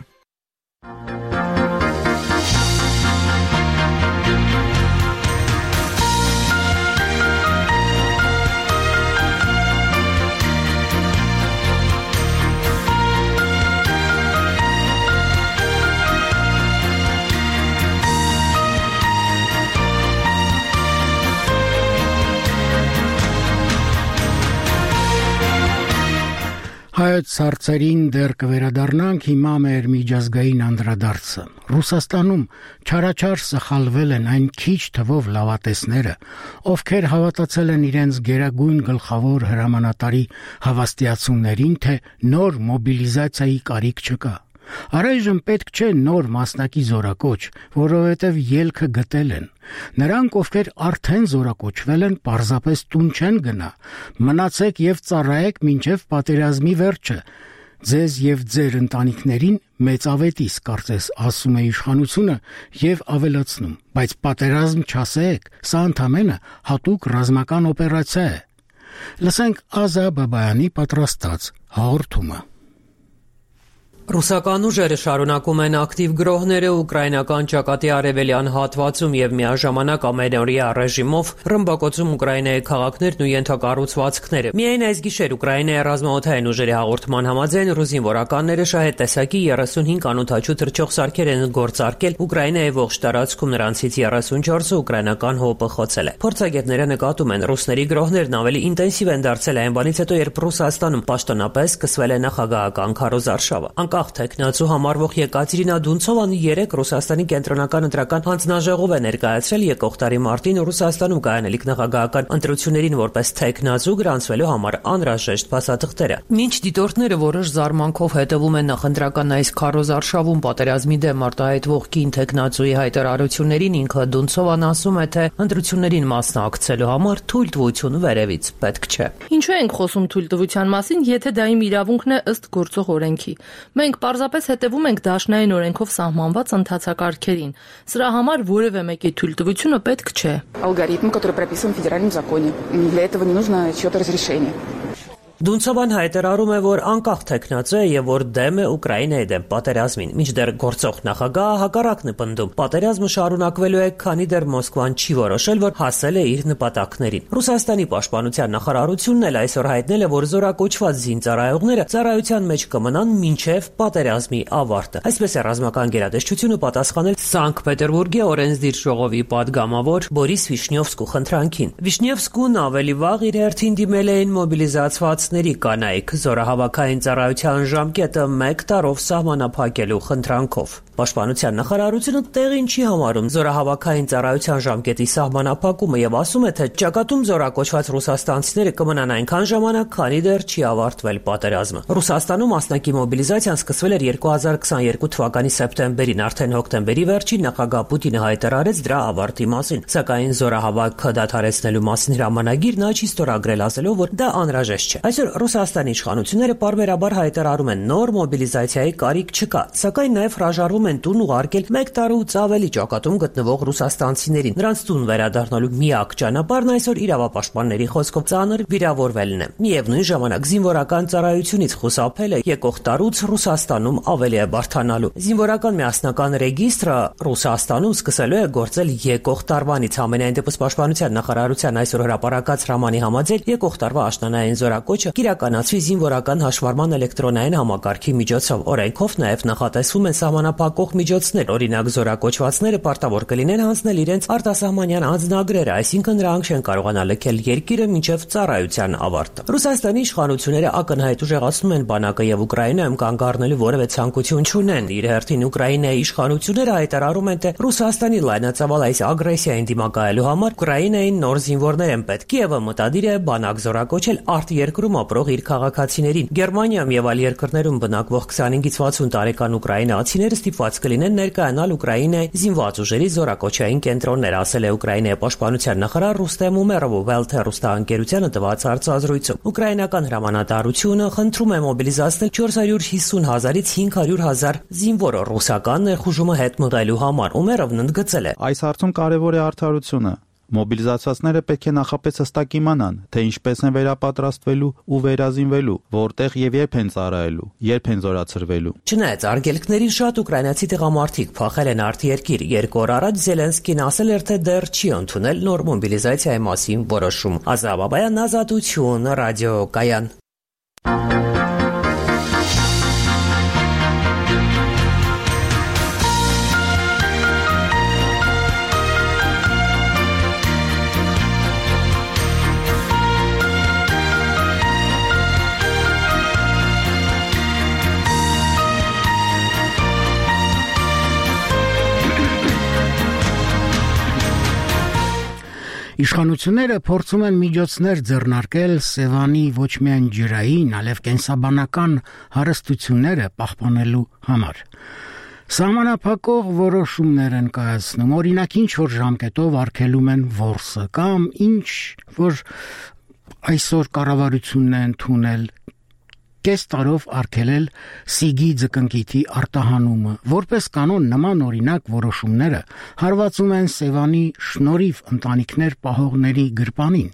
Հայոց հարցերին դեռ կվերադառնանք, հիմա մեր միջազգային անդրադարձը։ Ռուսաստանում չարաչար սխալվել են այն քիչ թվով լավատեսները, ովքեր հավատացել են իրենց գերագույն գլխավոր հրամանատարի հավաստիացումներին, թե նոր մոբիլիզացիայի կարիք չկա։ Առայժմ պետք չէ նոր մասնակի զորակոչ, որովհետև ելքը գտել են։ Նրանք, ովքեր արդեն զորակոչվել են, պարզապես տուն չեն գնա։ Մնացեք եւ ծառայեք մինչեւ պատերազմի վերջը։ Ձեզ եւ ձեր ընտանիքներին մեծ ավետիս, կարծես ասում է իշխանությունը եւ ավելացնում, բայց պատերազմ չասեք, սա ընդամենը հատուկ ռազմական օպերացիա է։ Լսենք Ազա Բաբայանի պատրաստած հաղորդումը։ Ռուսական ուժերը շարունակում են ակտիվ գրոհները ուկրաինական ճակատի արևելյան հատվածում եւ միաժամանակ ամենօրյա ռեժիմով ռմբակոծում Ուկրաինայի քաղաքներն ու ենթակառուցվածքները։ Միայն այս գիշեր Ուկրաինայի ռազմաօդային ուժերի հաղորդման համաձայն ռուս զինվորականները շահեդ տեսակի երեսունհինգ անօդաչու թռչող սարքեր են գործարկել Ուկրաինայի ողջ տարածքում, նրանցից երեսունչորսը ուկրաինական հոպը խոցել է։ Փորձագետները նկատում են, ռուսների գրոհներն ավելի ինտենսիվ են դարձել այն բանից հետո, երբ Ռուսաստանում պաշտոնապես սկսվել է նախագահական քարոզարշավը։ Անկախ թեկնածու համարվող Եկատերինա Դունցովան երեք Ռուսաստանի կենտրոնական ընտրական հանձնաժողով է ներկայացրել եկող տարի մարտին Ռուսաստանում կայանելիք նախագահական ընտրություններին որպես թեկնածու գրանցվելու համար անհրաժեշտ փաստաթղթերը։ Մինչ դիտորդները որոշ զարմանքով հետևում են նախընտրական այս քարոզարշավում պատերազմի դեմ արտահայտվող կին թեկնածուի հայտարարություններին, ինքը Դունցովան ասում է, թե ընտրություններին մասնակցելու համար թույլտվություն վերևից պետք չէ։ Ինչու ենք խոսում թույլտվության մասին, եթե դա իմ իրավունքն է ըստ գործող օրենքի։ Մենք պարզապես հետևում ենք դաշնային օրենքով սահմանված ընթացակարգերին։ Սրա համար որևէ մեկի թույլտվությունը պետք չէ։ Алгоритм, который прописан в федеральном законе. Для этого не нужно чьё-то разрешение. Դունցովան հայտարարում է, որ անկախ թեկնածու է եւ որ դեմ է Ուկրաինայի դեմ պատերազմին, մինչդեռ գործող նախագահը հակառակն է պնդում։ Պատերազմը շարունակվելու է, քանի դեռ Մոսկվան չի որոշել, որ հասել է իր նպատակներին։ Ռուսաստանի պաշտպանության նախարարությունն էլ այսօր հայտնել է, որ զորակոչված զինծառայողները ծառայության մեջ կմնան մինչեւ պատերազմի ավարտը։ Այսպես է ռազմական գերատեսչությունը պատասխանել Սանկտ Պետերբուրգի օրենսդիր ժողովի падգամավոր Բորիս Վիշնյովսկու խնդրանքին։ Վիշնյովսկուն ավելի վաղ իր հերթին դիմել էին մոբիլիզացված զինվորացների կանայք զորահավաքային ծառայության ժամկետը մեկ տարով սահմանափակելու խնդրանքով։ Պաշտպանության նախարարությունը տեղին չի համարում զորահավաքային ծառայության ժամկետի սահմանափակումը եւ ասում է, թե ճակատում զորակոչված ռուսաստանցիները կմնան այնքան ժամանակ, քանի դեռ չի ավարտվել պատերազմը։ Ռուսաստանում մասնակի մոբիլիզացիան սկսվել էր երկու հազար քսաներկու թվականի սեպտեմբերին, արդեն հոկտեմբերի վերջին նախագահ Պուտինը հայտարարեց դրա ավարտի մասին, սակայն զորահավաքը դադարեցնելու մասին հրամանագիր նա չի ստորագրել, ասելով, որ դա անհրաժեշտ չէ։ Այսօր Ռուսաստանի իշխանությունները պարբերաբար հայտարարում են նոր մոբիլիզացիայի կարիք չկա, սակայն նաև հրաժարվում են տուն ուղարկել մեկ տարուց ավելի ճակատում գտնվող ռուսաստանցիներին։ Նրանց տուն վերադառնալու միակ ճանապարհն այսօր իրավապաշտպանների խոսքով ծանր վիրավորվելն է։ Միևնույն ժամանակ զինվորական ծառայությունից խուսափելը եկող տարուց Ռուսաստանում ավելի է բարդանալու։ Զինվորական միասնական ռեգիստրը Ռուսաստանում սկսելու է գործել եկող տարվանից։ Համենայն դեպս Պաշտպանության նախարարության այսօր հրապարակած հրամանի համաձայն եկող տարվա աշնանային զորակոչը կիրականացվի զինվորական հաշվառման էլեկտրոնային համակարգի միջոցով։ Օրենքով նաև նախատեսվում են սահմանափակող միջոցներ, օրինակ զորակոչվածները պարտավոր կլինեն հանձնել իրենց արտասահմանյան անձնագրերը, այսինքն նրանք չեն կարողանա լքել երկիրը մինչև ծառայության ավարտը։ Ռուսաստանի իշխանությունները ակնհայտ ուժեղացնում են բանակը եւ Ուկրաինայում կանգ առնելու որևէ ցանկություն չունեն։ Իր հերթին Ուկրաինայի իշխանությունները հայտարարում են, թե Ռուսաստանի լայնածավալ այս ագրեսիային դիմակայելու համար Ուկրաինային նոր զինվորներ են պետք։ Կիևը մտադիր է բանակ զորակոչել արտերկրում ապրող իր քաղաքացիներին։ Գերմանիայում եւ այլ երկրներում բնակվող քսանհինգից վաթսուն տարեկան ուկրաինացիները ստիպված կլինեն ներկայանալ Ուկրաինայի զինված ուժերի զորակոչային կենտրոններ, ասել է Ուկրաինայի պաշտպանության նախարար Ռուստեմ Ումերովը Վելթը հեռուստաընկերությանը տված հարցազրույցում։ Ուկրաինական հրամանատարությունը խնդրում է մոբիլիզացնել չորս հարյուր հիսուն հազարից հինգ հարյուր հազար զինվոր ռուսական ներխուժումը հետ մղելու համար։ Ումերովն ընդգծել է. Այս հարցում կարևոր է արդարությունը։ Մոբիլիզացվածները պետք է նախապես հստակ իմանան, թե ինչպես են վերապատրաստվելու ու վերազինվելու, որտեղ եւ երբ են ծառայելու, երբ են զորացրվելու։ Չնայած արգելքներին շատ ուկրաինացի տղամարդիկ փախել են արտերկիր։ Երկու օր առաջ Զելենսկին ասել էր, թե դեռ չի ընդունել նոր մոբիլիզացիայի մասին որոշում։ Ազատ Բաբայան, Ազատություն, ռադիոկայան։ Իշխանությունները փորձում են միջոցներ ձեռնարկել Սևանի ոչ միայն ջրային, այլև կենսաբանական հարստությունները պահպանելու համար։ Սահմանափակող որոշումներ են կայացնում, օրինակ ինչ որ ժամկետով արգելում են որսը կամ ինչ որ այսօր կառավարությունն է ընդունել կես տարով արգելել սիգի ձկնկիթի արտահանումը։ Որպես կանոն նման օրինակ որոշումները հարվածում են Սևանի շնորհիվ ընտանիքներ պահողների գրպանին։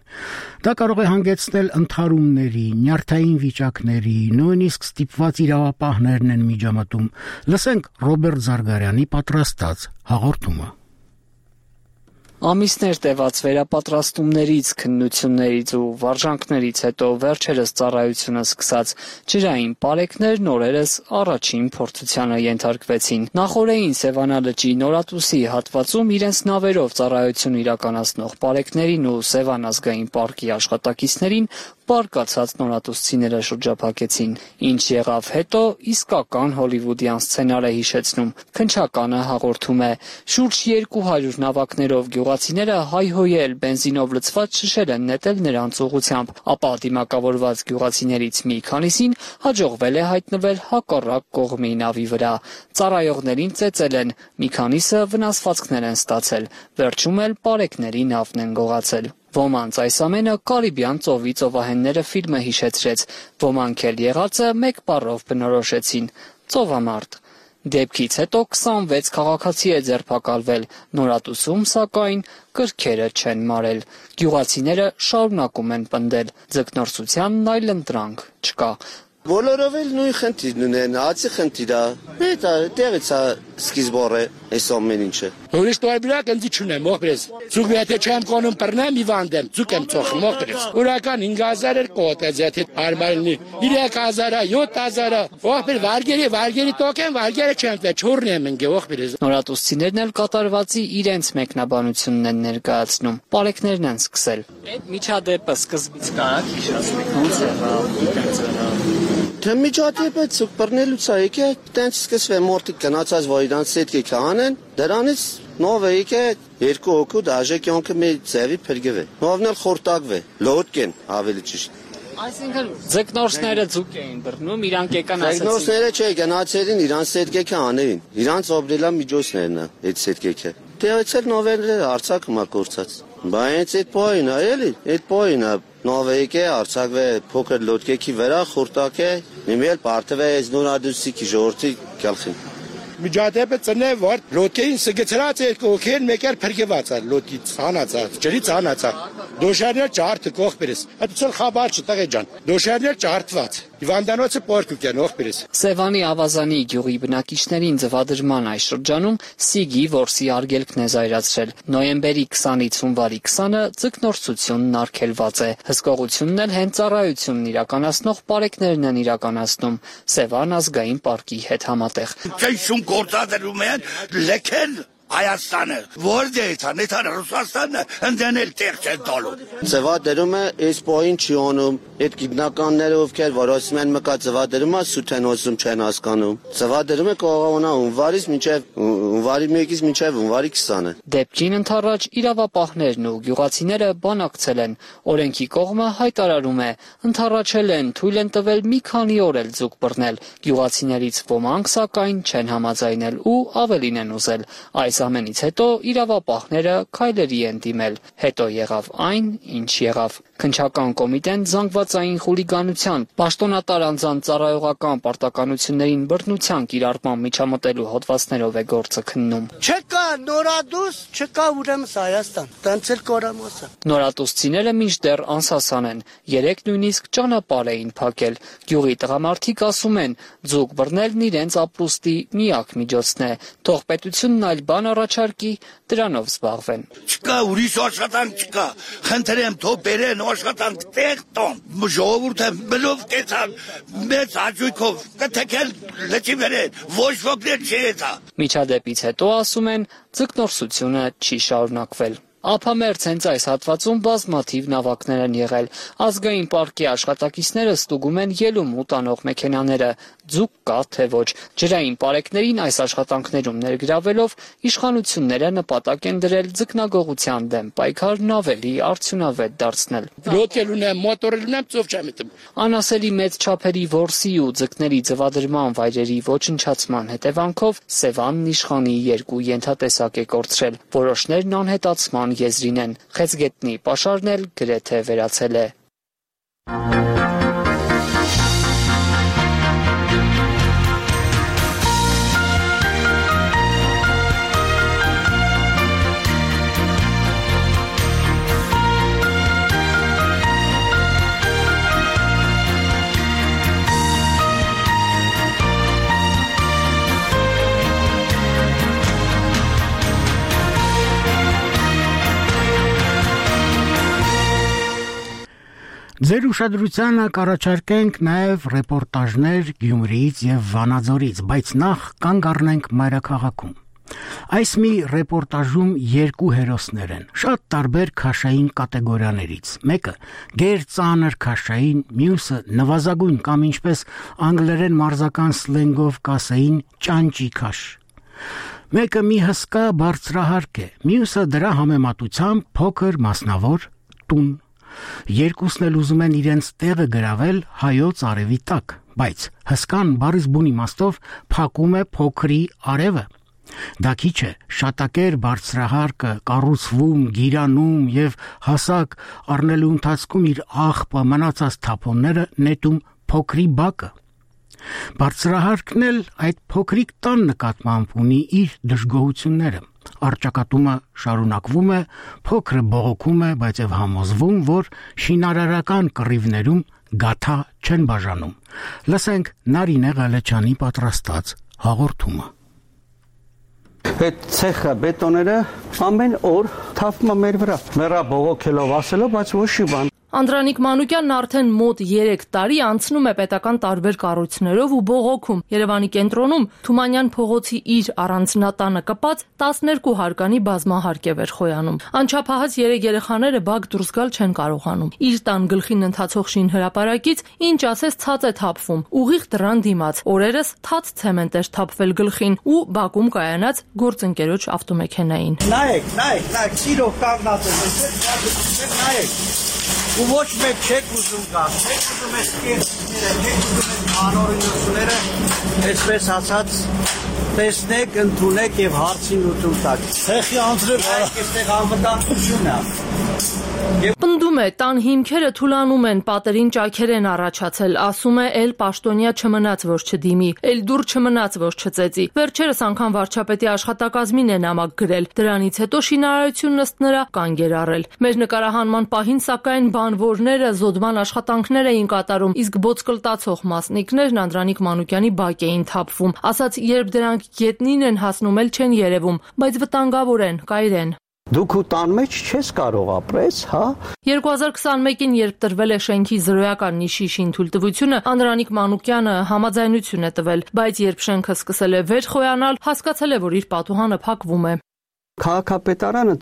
Դա կարող է հանգեցնել ընդհարումների, նյարդային վիճակների, նույնիսկ ստիպված իրավապահներն են միջամտում։ Լսենք Ռոբերտ Զարգարյանի պատրաստած հաղորդումը։ Ամիսներ տևած վերապատրաստումներից, քննություններից ու վարժանքներից հետո վերջերս ծառայությունը սկսած ջրային պարեկներն օրերս առաջին փորձությանը ենթարկվեցին։ Նախորդային Սևանալճի Նորատուսի հատվածում իրենց նավերով ծառայություն իրականացնող պարեկներին ու Սևան ազգային պարկի աշխատակիցներին բարկացած նորատուսցիները շրջափակեցին։ Ինչ եղավ հետո, իսկական հոլիվուդյան սցենար է հիշեցնում։ Քնչականը հաղորդում է. շուրջ երկու հարյուր նավակներով գյուղացիները հայհոյել բենզինով լցված շշեր են նետել նրանց ուղղությամբ, ապա դիմակավորված գյուղացիներից մի քանիսին հաջողվել է հայտնվել հակառակ կողմի նավի վրա։ Ծառայողներին ծեծել են, մի քանիսը վնասվածքներ են ստացել, վերջում էլ պարեկների նավն են գողացել։ Ոմանց այս ամենը Կարիբյան ծովի ծովահենները ֆիլմը հիշեցրեց, ոմանք էլ եղածը մեկ բառով բնորոշեցին՝ ծովամարդ։ Դեպքից հետո քսանվեց քաղաքացի է ձերբակալվել, Նորատուսում սակայն կրքերը չեն մարել։ Գյուղացիները շարունակում են պնդել, ձկնորսությանն այլընտրանք չկա։ Բոլորով էլ նույն խնդիրն ունեն, հացի խնդիր է։ Դա դերից է սկիզբը այս ամեն ինչը։ Ուրիշ տարբերակ ընձի չունեմ, ողբերես։ Ցուկ եթե չեմ կոնում բռնեմ իվանդեմ, ցուկ եմ ծոխում, ողբերես։ Ուրական հինգ հազար էր կոտեց, եթե արմարնի երեք հազար, յոթ հազար, ողբեր վարգերի, վարգերի տոկեն, վարգերը չեմ տե, չուրն եմ ընկե, ողբերես։ Նորատուսցիներն էլ կատարվածի իրենց մեկնաբանությունն են ներկայացնում։ Պարեկներն են սկսել։ Այդ միջադեպը սկզբից կարա հիշեցնեք, ոնց եղավ։ Թե միջադեպը ցուկ բռնելուց է եկե, տենց սկսվե մորտիկ գնացած որ իրանց հետ եկա անեն, դրանից նով է եկե երկու հոգու դաժե կյանքը մի ձևի փրկվե։ Նովն էլ խորտակվե, լոհտկեն ավելի ճիշտ։ Այսինքն ձկնորսները ձուկ էին բռնում, իրանք եկան ասեցին։ Ձկնորսները չէ, գնացերին իրանց հետ եկա անեին։ Իրանց օբրելա միջոցներն է, այդ հետ եկե։ Դերից էլ նովերը արցակը մա կորցած։ Բայց այդ պոյն է, էլի, այդ պոյն է։ Նովեյկե արցակվե փոքր լոդկեքի վրա խորտակե նիմել պարտվե այս նորադուսիկի ժողովրդի գալխին։ Միջադեպը ծնե որ լոդկեին սգծրած երկու օքեն մեկեր փրկված է լոդից հանածած ջրից հանածա դոշարներ ջարդը կողբերես այդցել խաբար չտղե ջան դոշարներ ջարդված հիվանդանոցը պորկուկ են ողբերես Սևանի ավազանի գյուղի բնակիչներին ձվադրման այս շրջանում Սիգի որսի արգելքն է զայրացրել նոյեմբերի քսանից հունվարի քսանը ձկնորսությունն արգելված է հսկողությունն էլ հենց ծառայությունն իրականացնող պարեկներն են իրականացնում Սևան ազգային պարկի հետ համատեղ գործադրում են լեքել Հայաստանը, որտեղից է, նեթան Ռուսաստանը ընդդնել տեղ չեն տալու։ Ձվադրում է այս պոյին չի անում, այդ գիտնականները ովքեր որ ասում են մկա ձվադրումը սուտ են ասում չեն հասկանում։ Ձվադրումը կողողանա հունվարից մինչև հունվարի մեկից մինչև հունվարի քսանը։ Դեպքին ընդառաջ իրավապահներն ու գյուղացիները բանակցել են։ Օրենքի կողմը հայտարարում է, ընդառաջել են, թույլ են տվել մի քանի օր էլ ձուկ բռնել։ Գյուղացիներից ոմանք սակայն չեն համաձայնել ու ավելին են ուզել։ Այս ամենից հետո իրավապահները քայլերի են դիմել։ Հետո եղավ այն, ինչ եղավ։ Քննչական կոմիտեն զանգվածային խուլիգանության, պաշտոնատար անձանց ծառայողական պարտականություններին բռնության կիրառման միջամտելու հոդվածներով է գործը քննում։ Չկա նորադուս, չկա ուրեմն Հայաստան։ Տանցել կորամոսը։ Նորատուսցիները մինչդեռ անսասան են։ Երեք նույնիսկ ճանապարհ էին փակել։ Գյուղի տղամարդիկ ասում են, ձուկ բռնելն իրենց ապրուստի միակ միջոցն է։ Թող պետությունն այլ բան առաջարկի, դրանով զբաղվեն։ Չկա ուրիշ աշխատանք չկա։ Խնդրեմ թող բերեն աշխատանք տեղ տոն։ Ժողովուրդը բլով կեցան մեծ հաճույքով կթեքել լճի վերեն ոչ ոքներ չեցա։ Միջադեպից հետո ասում են ձկնորսությունը չի շարունակվել։ Ափամերձ հենց այս հատվածում բազմաթիվ նավակներ են եղել։ Ազգային պարկի աշխատակիցները ստուգում են ելում ու տանող մեքենաները։ Ձուկ կա թե ոչ։ Ջրային պարեկներին այս աշխատանքներում ներգրավելով իշխանությունները նպատակ են դրել ձկնագողության դեմ պայքարն ավելի արդյունավետ դարձնել։ Լոդկել ունեմ, մոտորել ունեմ, ծով չեմ մտնում։ Անասելի մեծ չափերի որսի ու ձկների ձվադրման վայրերի ոչնչացման հետևանքով Սևանն իշխանի երկու ենթատեսակ է կորցրել։ Որոշներն անհետացման եզրին են։ Խեցգետնի պաշարն էլ գրեթե վերացել է։ Ձեր ուշադրությանը կառաջարկենք նաև ռեպորտաժներ Գյումրիից եւ Վանաձորից, բայց նախ կանգ առնենք մայրաքաղաքում։ Այս մի ռեպորտաժում երկու հերոսներ են, շատ տարբեր քաշային կատեգորիաներից։ Մեկը գերծանր քաշային, մյուսը նվազագույն կամ ինչպես անգլերեն մարզական սլենգով կասեին ճանճի քաշ։ Մեկը մի հսկա բարձրահարկ է, մյուսը դրա համեմատությամբ փոքր մասնավոր տուն։ Երկուսն էլ ուզում են իրենց տեղը գրավել հայոց արևի տակ, բայց հսկան բառից բուն իմաստով փակում է փոքրի արևը։ Դա քիչ է, շատակեր բարձրահարկը կառուցվում, գիրանում եւ հասակ առնելու ընթացքում իր աղբը մնացած թափոնները նետում փոքրի բակը։ Բարձրահարկն էլ այդ փոքրիկ տան նկատմամբ ունի իր դժգոհությունները։ Արճակատումը շարունակվում է, փոքրը բողոքում է, բայց եւ համոզվում, որ շինարարական կռիվներում գաթա չեն բաժանում։ Լսենք Նարինե Ղալեչյանի պատրաստած հաղորդումը։ Այդ ցեխը բետոները ամեն օր թափվում է մեր վրա։ Մեռա բողոքելով ասելով, բայց ոչ մի բան։ Անդրանիկ Մանուկյանն արդեն մոտ երեք տարի անցնում է պետական տարբեր կառույցներով ու բողոքում։ Երևանի կենտրոնում Թումանյան փողոցի իր առանձնատանը կպած տասներկու հարկանի բազմահարկ է վերխոյանում։ Անչափահաս երեք երեխաները բակ դուրս գալ չեն կարողանում։ Իր տան գլխին ընթացող շինհրապարակից ինչ ասես ցած է թափվում։ Ուղիղ դռան դիմաց օրերս թաց ցեմենտ էր թափվել գլխին ու բակում կայանած գործընկերոջ ավտոմեքենային։ Նայեք, նայեք, նայեք, սիրով կանգնած է, նայեք։ Ու ոչ մեկ չեք ուզում գալ, չեք ուզում ես կերտները, չեք ուզում ես անօրինությունները, այսպես ասած, տեսնեք, ընդունեք և հարցին ուտում տակ։ Ցեխի անձրև այք եստեղ անվտանգություն է։ Պնդում է, տան հիմքերը թուլանում են, պատերին ճաքեր են առաջացել, ասում է, էլ պաշտոնյա չմնաց, որ չդիմի, էլ դուր չմնաց, որ չծեծի։ Վերջերս անգամ վարչապետի աշխատակազմին է նամակ գրել, դրանից հետո շինարարությունն ըստ նրա կանգ էր առել։ Մեր նկարահանման պահին, սակայն, բանվորները զոդման աշխատանքներ էին կատարում, իսկ ոսկլտացող մասնիկներն Անդրանիկ Մանուկյանի բակ էին թափվում։ Ասաց, երբ դրանք գետնին են հասնում, էլ չեն երևում, բայց վտանգավոր են, կայրեն։ Դուք ու տան մեջ չես կարող ապրես, հա։ երկու հազար քսանմեկին, երբ տրվել է շենքի զրոյական նիշի շինթույլտվությունը, Անդրանիկ Մանուկյանը համաձայնություն է տվել, բայց երբ շենքը սկսել է վեր խոյանալ, հասկացել է, որ իր պատուհանը փակվում է։ Քաղաքապետարանը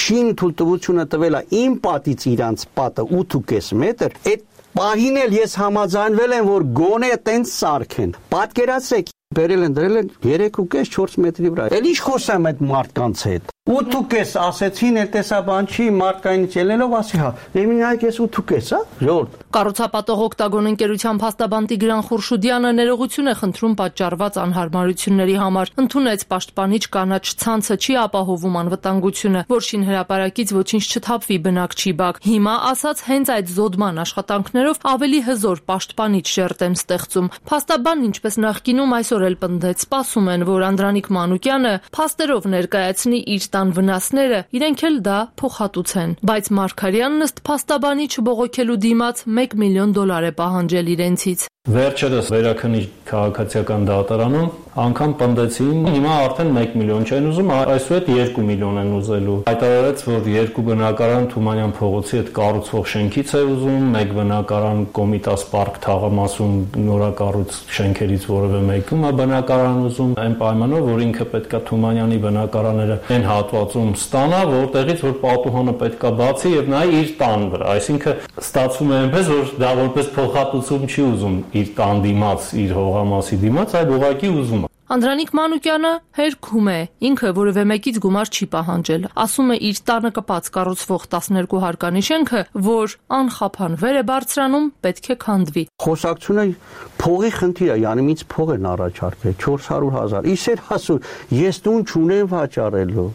շինթույլտվությունը տվել է իմ պատից իրանց պատը ութ ու կես մետր, այդ պահին էլ ես համաձայնվել եմ, որ գոնե տենց սարքեն։ Պատկերացրեք, բերել են դրել են երեք ու կես չորս մետրի վրա։ Էլ ինչ խոսեմ այդ մարդկանց հետ։ ութ ու կես ասեցին, էլ տեսա բան չի, մարդկայինից ելնելով ասի, հա, եմինայք ես ութ ու կես, հա, ժողովուրդ։ Կառուցապատող Օկտագոն ընկերության փաստաբան Տիգրան Խուրշուդյանը ներողություն է խնդրում պատճառված անհարմարությունների համար։ Ընդունեց պաշտպանիչ կանաչ ցանցը չի ապահովում անվտանգությունը, որ շինհրապարակից ոչինչ չթափվի բնակ չի բակ։ Հիմա ասաց հենց այդ զոդման աշխատանքներով ավելի հզոր պաշտպանիչ շերտ են ստեղծում։ Փաստաբանն ինչպես նախկինում այսօր էլ պնդեց, սպասում են, որ Անդրանիկ Մանուկյանը փաստերով ներկայացնի իր տան վնասները, իրենք էլ դա փոխհատուցեն։ Բայց Մարգարյանն ըստ փաստաբանի չբողոքելու դիմաց մեկ միլիոն դոլար է պահանջել իրենցից։ Վերջերս Վերաքնի քաղաքացիական դատարանում անգամ պնդեցին, հիմա արդեն մեկ միլիոն չեն ուզում, այսուհետ երկու միլիոն են ուզելու։ Հայտարարեց, որ երկու բնակարան Թումանյան փողոցի հետ կառուցվող շենքից է ուզում, մեկ բնակարան Կոմիտաս պարկ թաղամասում նորակառույց շենքերից որևէ մեկում է բնակարան ուզում, այն պայմանով, որ ինքը պետքա Թումանյանի բնակարանները այն հատվածում ստանա, որտեղից որ պատուհանը պետքա բացի եւ նայ իր տան վրա, այսինքն ստացվում է այնպես, որ դա որպես փոխհատուցում չի ուզում իր տան դիմաց, իր հողամասի դիմաց, այլ ուղղակի ուզում է։ Անդրանիկ Մանուկյանը հերքում է, ինքը որևէ մեկից գումար չի պահանջել։ Ասում է իր տանը կպած կառուցվող տասներկու հարկանի շենքը, որ անխափան վեր է բարձրանում, պետք է քանդվի։ Խոսակցությունը փողի խնդիր է, յանի ինձ փող են առաջարկել չորս հարյուր հազար։ Իսեր ասում, ես տուն չունեմ վաճառելու։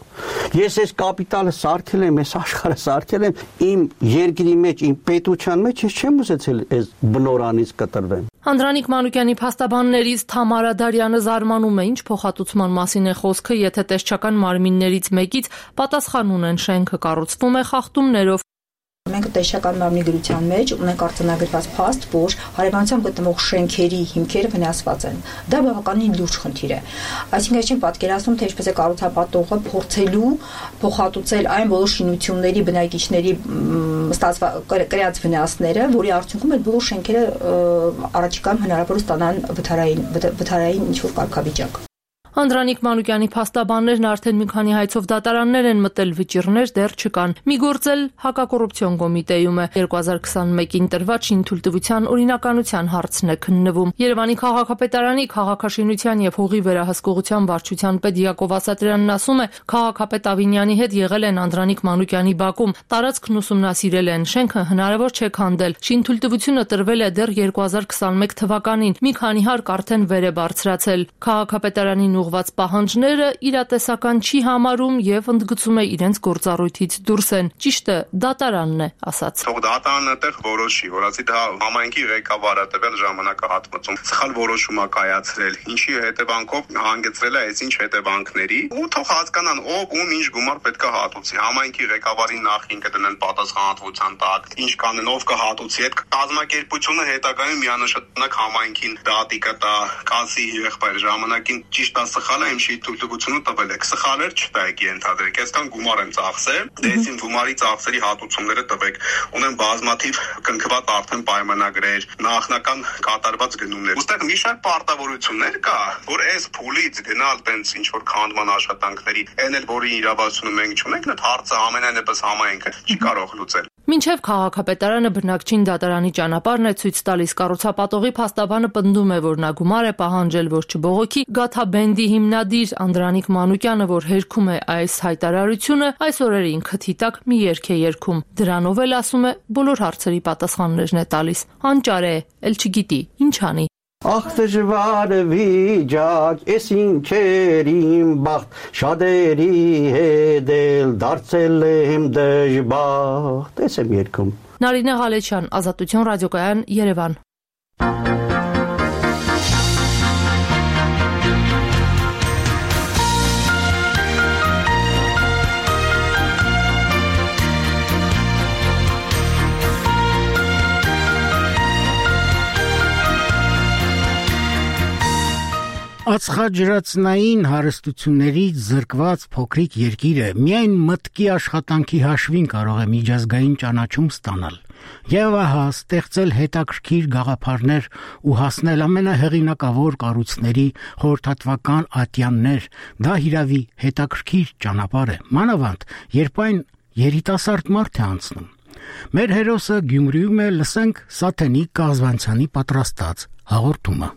Ես այս կապիտալը սարքել եմ, այս աշխարհը սարքել եմ իմ երկրի մեջ, իմ պետության մեջ, ես չեմ ուզեցել այս բնորանից կտրվեմ։ Անդրանիկ Մանուկյանի փաստաբաններից Թամարա Դարյանը զարմանում է, ինչ փոխհատուցման մասին է խոսքը, եթե տեսչական մարմիններից մեկից պատասխան ունեն շենքը կառուցվում է խախտումներով։ Մենք տեսչական մարմնի գրության մեջ ունենք արձանագրված փաստ, որ հարևանությամբ գտնվող շենքերի հիմքերը վնասված են։ Դա բավականին լուրջ խնդիր է։ Այսինքն ես չեմ պատկերացնում, թե ինչպես է կառուցապատողը փորձելու փոխհատուցել այն բոլոր շինությունների բնակիչների ստացված կրած վնասները, որի արդյունքում այդ բոլոր շենքերը առաջիկայում հնարավոր է ստանան վթարային վթարային ինչ-որ կարգավիճակ։ Անդրանիկ Մանուկյանի փաստաբաններն արդեն մի քանի հայցով դատարաններ են մտել, վճիռներ դեռ չկան։ Մի գործ էլ հակակոռուպցիոն կոմիտեում է։ երկու հազար քսանմեկին տրված շինթույլտվության օրինականության հարցն է քննվում։ Երևանի քաղաքապետարանի քաղաքաշինության եւ հողի վերահսկողության վարչության պետ Յակով Ասատրյանն ասում է, քաղաքապետ Ավինյանի հետ եղել են Անդրանիկ Մանուկյանի բակում, տարածքն ուսումնասիրել են, շենքը հնարավոր չէ քանդել։ Շինթույլտվությունը տրվել է դեռ երկու հազար քսանմեկ թվականին։ Մի քանի հարկ արդեն վեր է բարձրացել։ Քաղաքապետարանին ուղված պահանջները իրատեսական չի համարում եւ ընդգծում է իրենց գործառույթից դուրս են։ Ճիշտը դատարանն է ասաց։ Թող դատարանը տեղ որոշի, որ ասի դա համայնքի ղեկավարը տվել ժամանակահատվածում սխալ որոշում է կայացրել, ինչի հետևանքով հանգեցրել է այս ինչ հետևանքների, ու թող հասկանան ով ում ինչ գումար պետք է հատուցի։ Համայնքի ղեկավարին նախին կդնեն պատասխանատվության տակ, ինչ կանեն ով կհատուցի, այդ կազմակերպությունը հետագայում միանշանակ համայնքին դատի կտա, կասի եղբայր ժամանակին ճիշտ է սխալ է, իմ շի թույլտվությունը տվել եք, սխալ էր չտայեք ենթադրեք, այսքան գումար եմ ծախսել, դες իմ գումարի ծախսերի հատուցումները տվեք, ունեմ բազմաթիվ կնքված արդեն պայմանագրեր, նախնական կատարված գնումներ։ Ոստեղ մի շարք պարտավորություններ կա, որ այս փուլից գնալ տենց ինչ որ քանդման աշխատանքների, այն էլ որի իրավասությունը մենք չունենք, այդ հարցը ամենայնպես համայնքը չի կարող լուծել։ Մինչև քաղաքապետարանը բնակչին դատարանի ճանապարհն է ցույց տալիս, կառուցապատողի փաստաբանը պնդում է, որ նա գումար է պահանջել, որ չբողոքի։ Գաթաբենդի հիմնադիր Անդրանիկ Մանուկյանը, որ հերքում է այս հայտարարությունը, այս օրերը ինքը թիտակ մի երգ է երգում։ Դրանով էլ ասում է, բոլոր հարցերի պատասխաններն է տալիս։ Անճար է, էլ չգիտի ինչ անի։ Ախ դժվար վիճակ, ես ինչեր իմ բախտ, շատերի հետ էլ դարձել եմ դժբախտ։ Ես եմ երգում։ Նարինե Ղալեչյան, Ազատություն ռադիոկայան, Երևան։ Ածխաջրածնային հարստություններից զրկված փոքրիկ երկիրը միայն մտքի աշխատանքի հաշվին կարող է միջազգային ճանաչում ստանալ։ Եվ ահա ստեղծել հետաքրքիր գաղափարներ ու հասնել ամենահեղինակավոր կառույցների խորհրդատվական ատյաններ, դա հիրավի հետաքրքիր ճանապարհ է, մանավանդ երբ այն երիտասարդ մարդ է անցնում։ Մեր հերոսը Գյումրիում է, լսենք Սաթենիկ Կազվանցյանի պատրաստած հաղորդումը։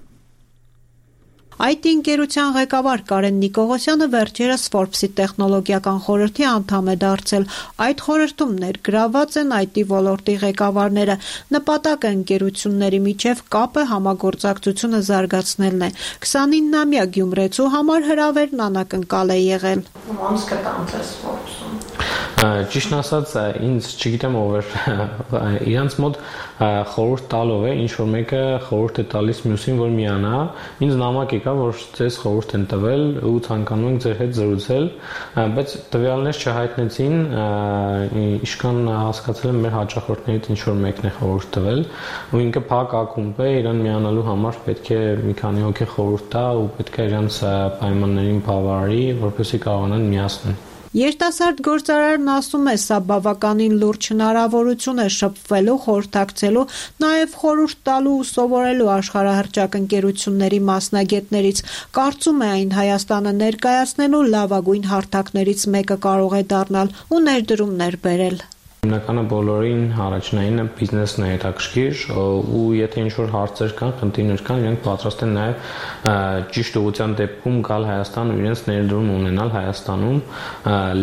Այ թի ընկերության ղեկավար Կարեն Նիկողոսյանը վերջերս Forbes-ի տեխնոլոգիական խորհրդի անդամ է դարձել։ Այդ խորհրդում ներգրաված են այ թի ոլորտի ղեկավարները։ Նպատակը ընկերությունների միջև կապը համագործակցությունը զարգացնելն է։ քսանիննամյա գյումրեցու համար հրավերն անակնկալ է եղել։ Ոնց կտամ ձեզ Forbes-ում։ Ճիշտ ասած, ինձ չգիտեմ ով էր իրանց մոտ խորհուրդ տալով է, ինչ որ մեկը խորհուրդ է տալիս մյուսին, որ միանա, ինձ նամակ եկա, որ ձեզ խորհուրդ են տվել ու ցանկանում ենք ձեր հետ զրուցել, բայց տվյալներ չհայտնեցին, իշքան հասկացել եմ մեր հաճախորդներից ինչ որ մեկն է խորհուրդ տվել, ու ինքը փակ ակումբ է, իրան միանալու համար պետք է մի քանի հոգի խորհուրդ տա ու պետք է իրանց պայմաններին բավարարի, որպեսզի կարողանան միացնել։ Երիտասարդ գործարարն ասում է, սա բավականին լուրջ հնարավորություն է շփվելու, խորհրդակցելու, նաև խորհուրդ տալու ու սովորելու աշխարհահռչակ ընկերությունների մասնագետներից։ Կարծում է, այն Հայաստանը ներկայացնելու լավագույն հարթակներից մեկը կարող է դառնալ ու ներդրումներ բերել։ Հիմնականը բոլորին առաջնայինը բիզնեսն է հետաքրքիր ու եթե ինչ-որ հարցեր կան, խնդիրներ կան, իրենք պատրաստ են նաև ճիշտ ուղղության դեպքում գալ Հայաստան ու իրենց ներդրում ունենալ Հայաստանում։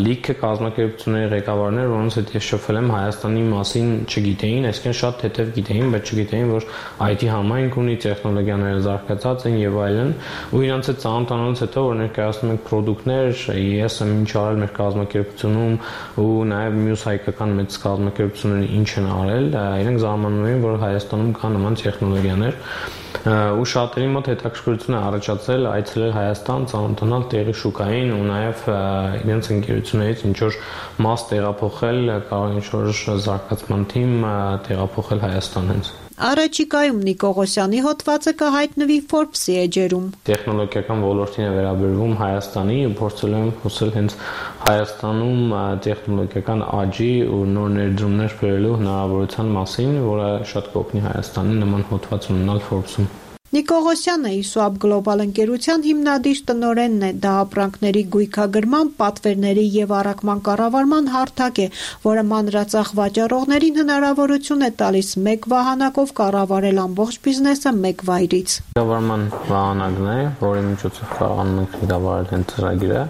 Լիքը կազմակերպությունների ղեկավարներ, որոնց հետ ես շփվել եմ, Հայաստանի մասին չգիտեին, այսինքն շատ հետև գիտեին, բայց չգիտեին, որ այ թի համայնք ունի, տեխնոլոգիաները զարգացած են եւ այլն, ու իրենց հետ ծանոթանալուց հետո որ ներկայացնում ենք պրոդուկտներ, ես եմ ինչ արել մեր կազմակերպությունում ու նաև մյուս հայկական մեծ կազմակերպությունները ինչ են արել, իրենք զարմանում են, որ Հայաստանում կան նման տեխնոլոգիաներ ու շատերի մոտ հետաքրքրություն է առաջացել այցելել Հայաստան, ծանոթանալ տեղի շուկային ու նաև իրենց ընկերություններից ինչ որ մաս տեղափոխել, կարող ինչ որ զարգացման թիմ տեղափոխել Հայաստան հենց։ Առաջիկայում Նիկողոսյանի հոդվածը կհայտնվի Forbes-ի էջերում։ Տեխնոլոգիական ոլորտին է վերաբերվում Հայաստանի ու փորձել եմ խոսել հենց Հայաստանում տեխնոլոգիական աճի ու նոր ներդրումներ բերելու հնարավորության մասին, որը շատ կօգնի Հայաստանի նման հոդված ունենալ Forbes-ում։ Նիկողոսյանը Իսուապ գլոբալ ընկերության հիմնադիր տնօրենն է, դա ապրանքների գույքագրման, պատվերների եւ առաքման կառավարման հարթակ է, որը մանրածախ վաճառողներին հնարավորություն է տալիս մեկ վահանակով կառավարել ամբողջ բիզնեսը մեկ վայրից։ Կառավարման վահանակն է, որի միջոցով կարողանում ենք կառավարել հենց ծրագիրը,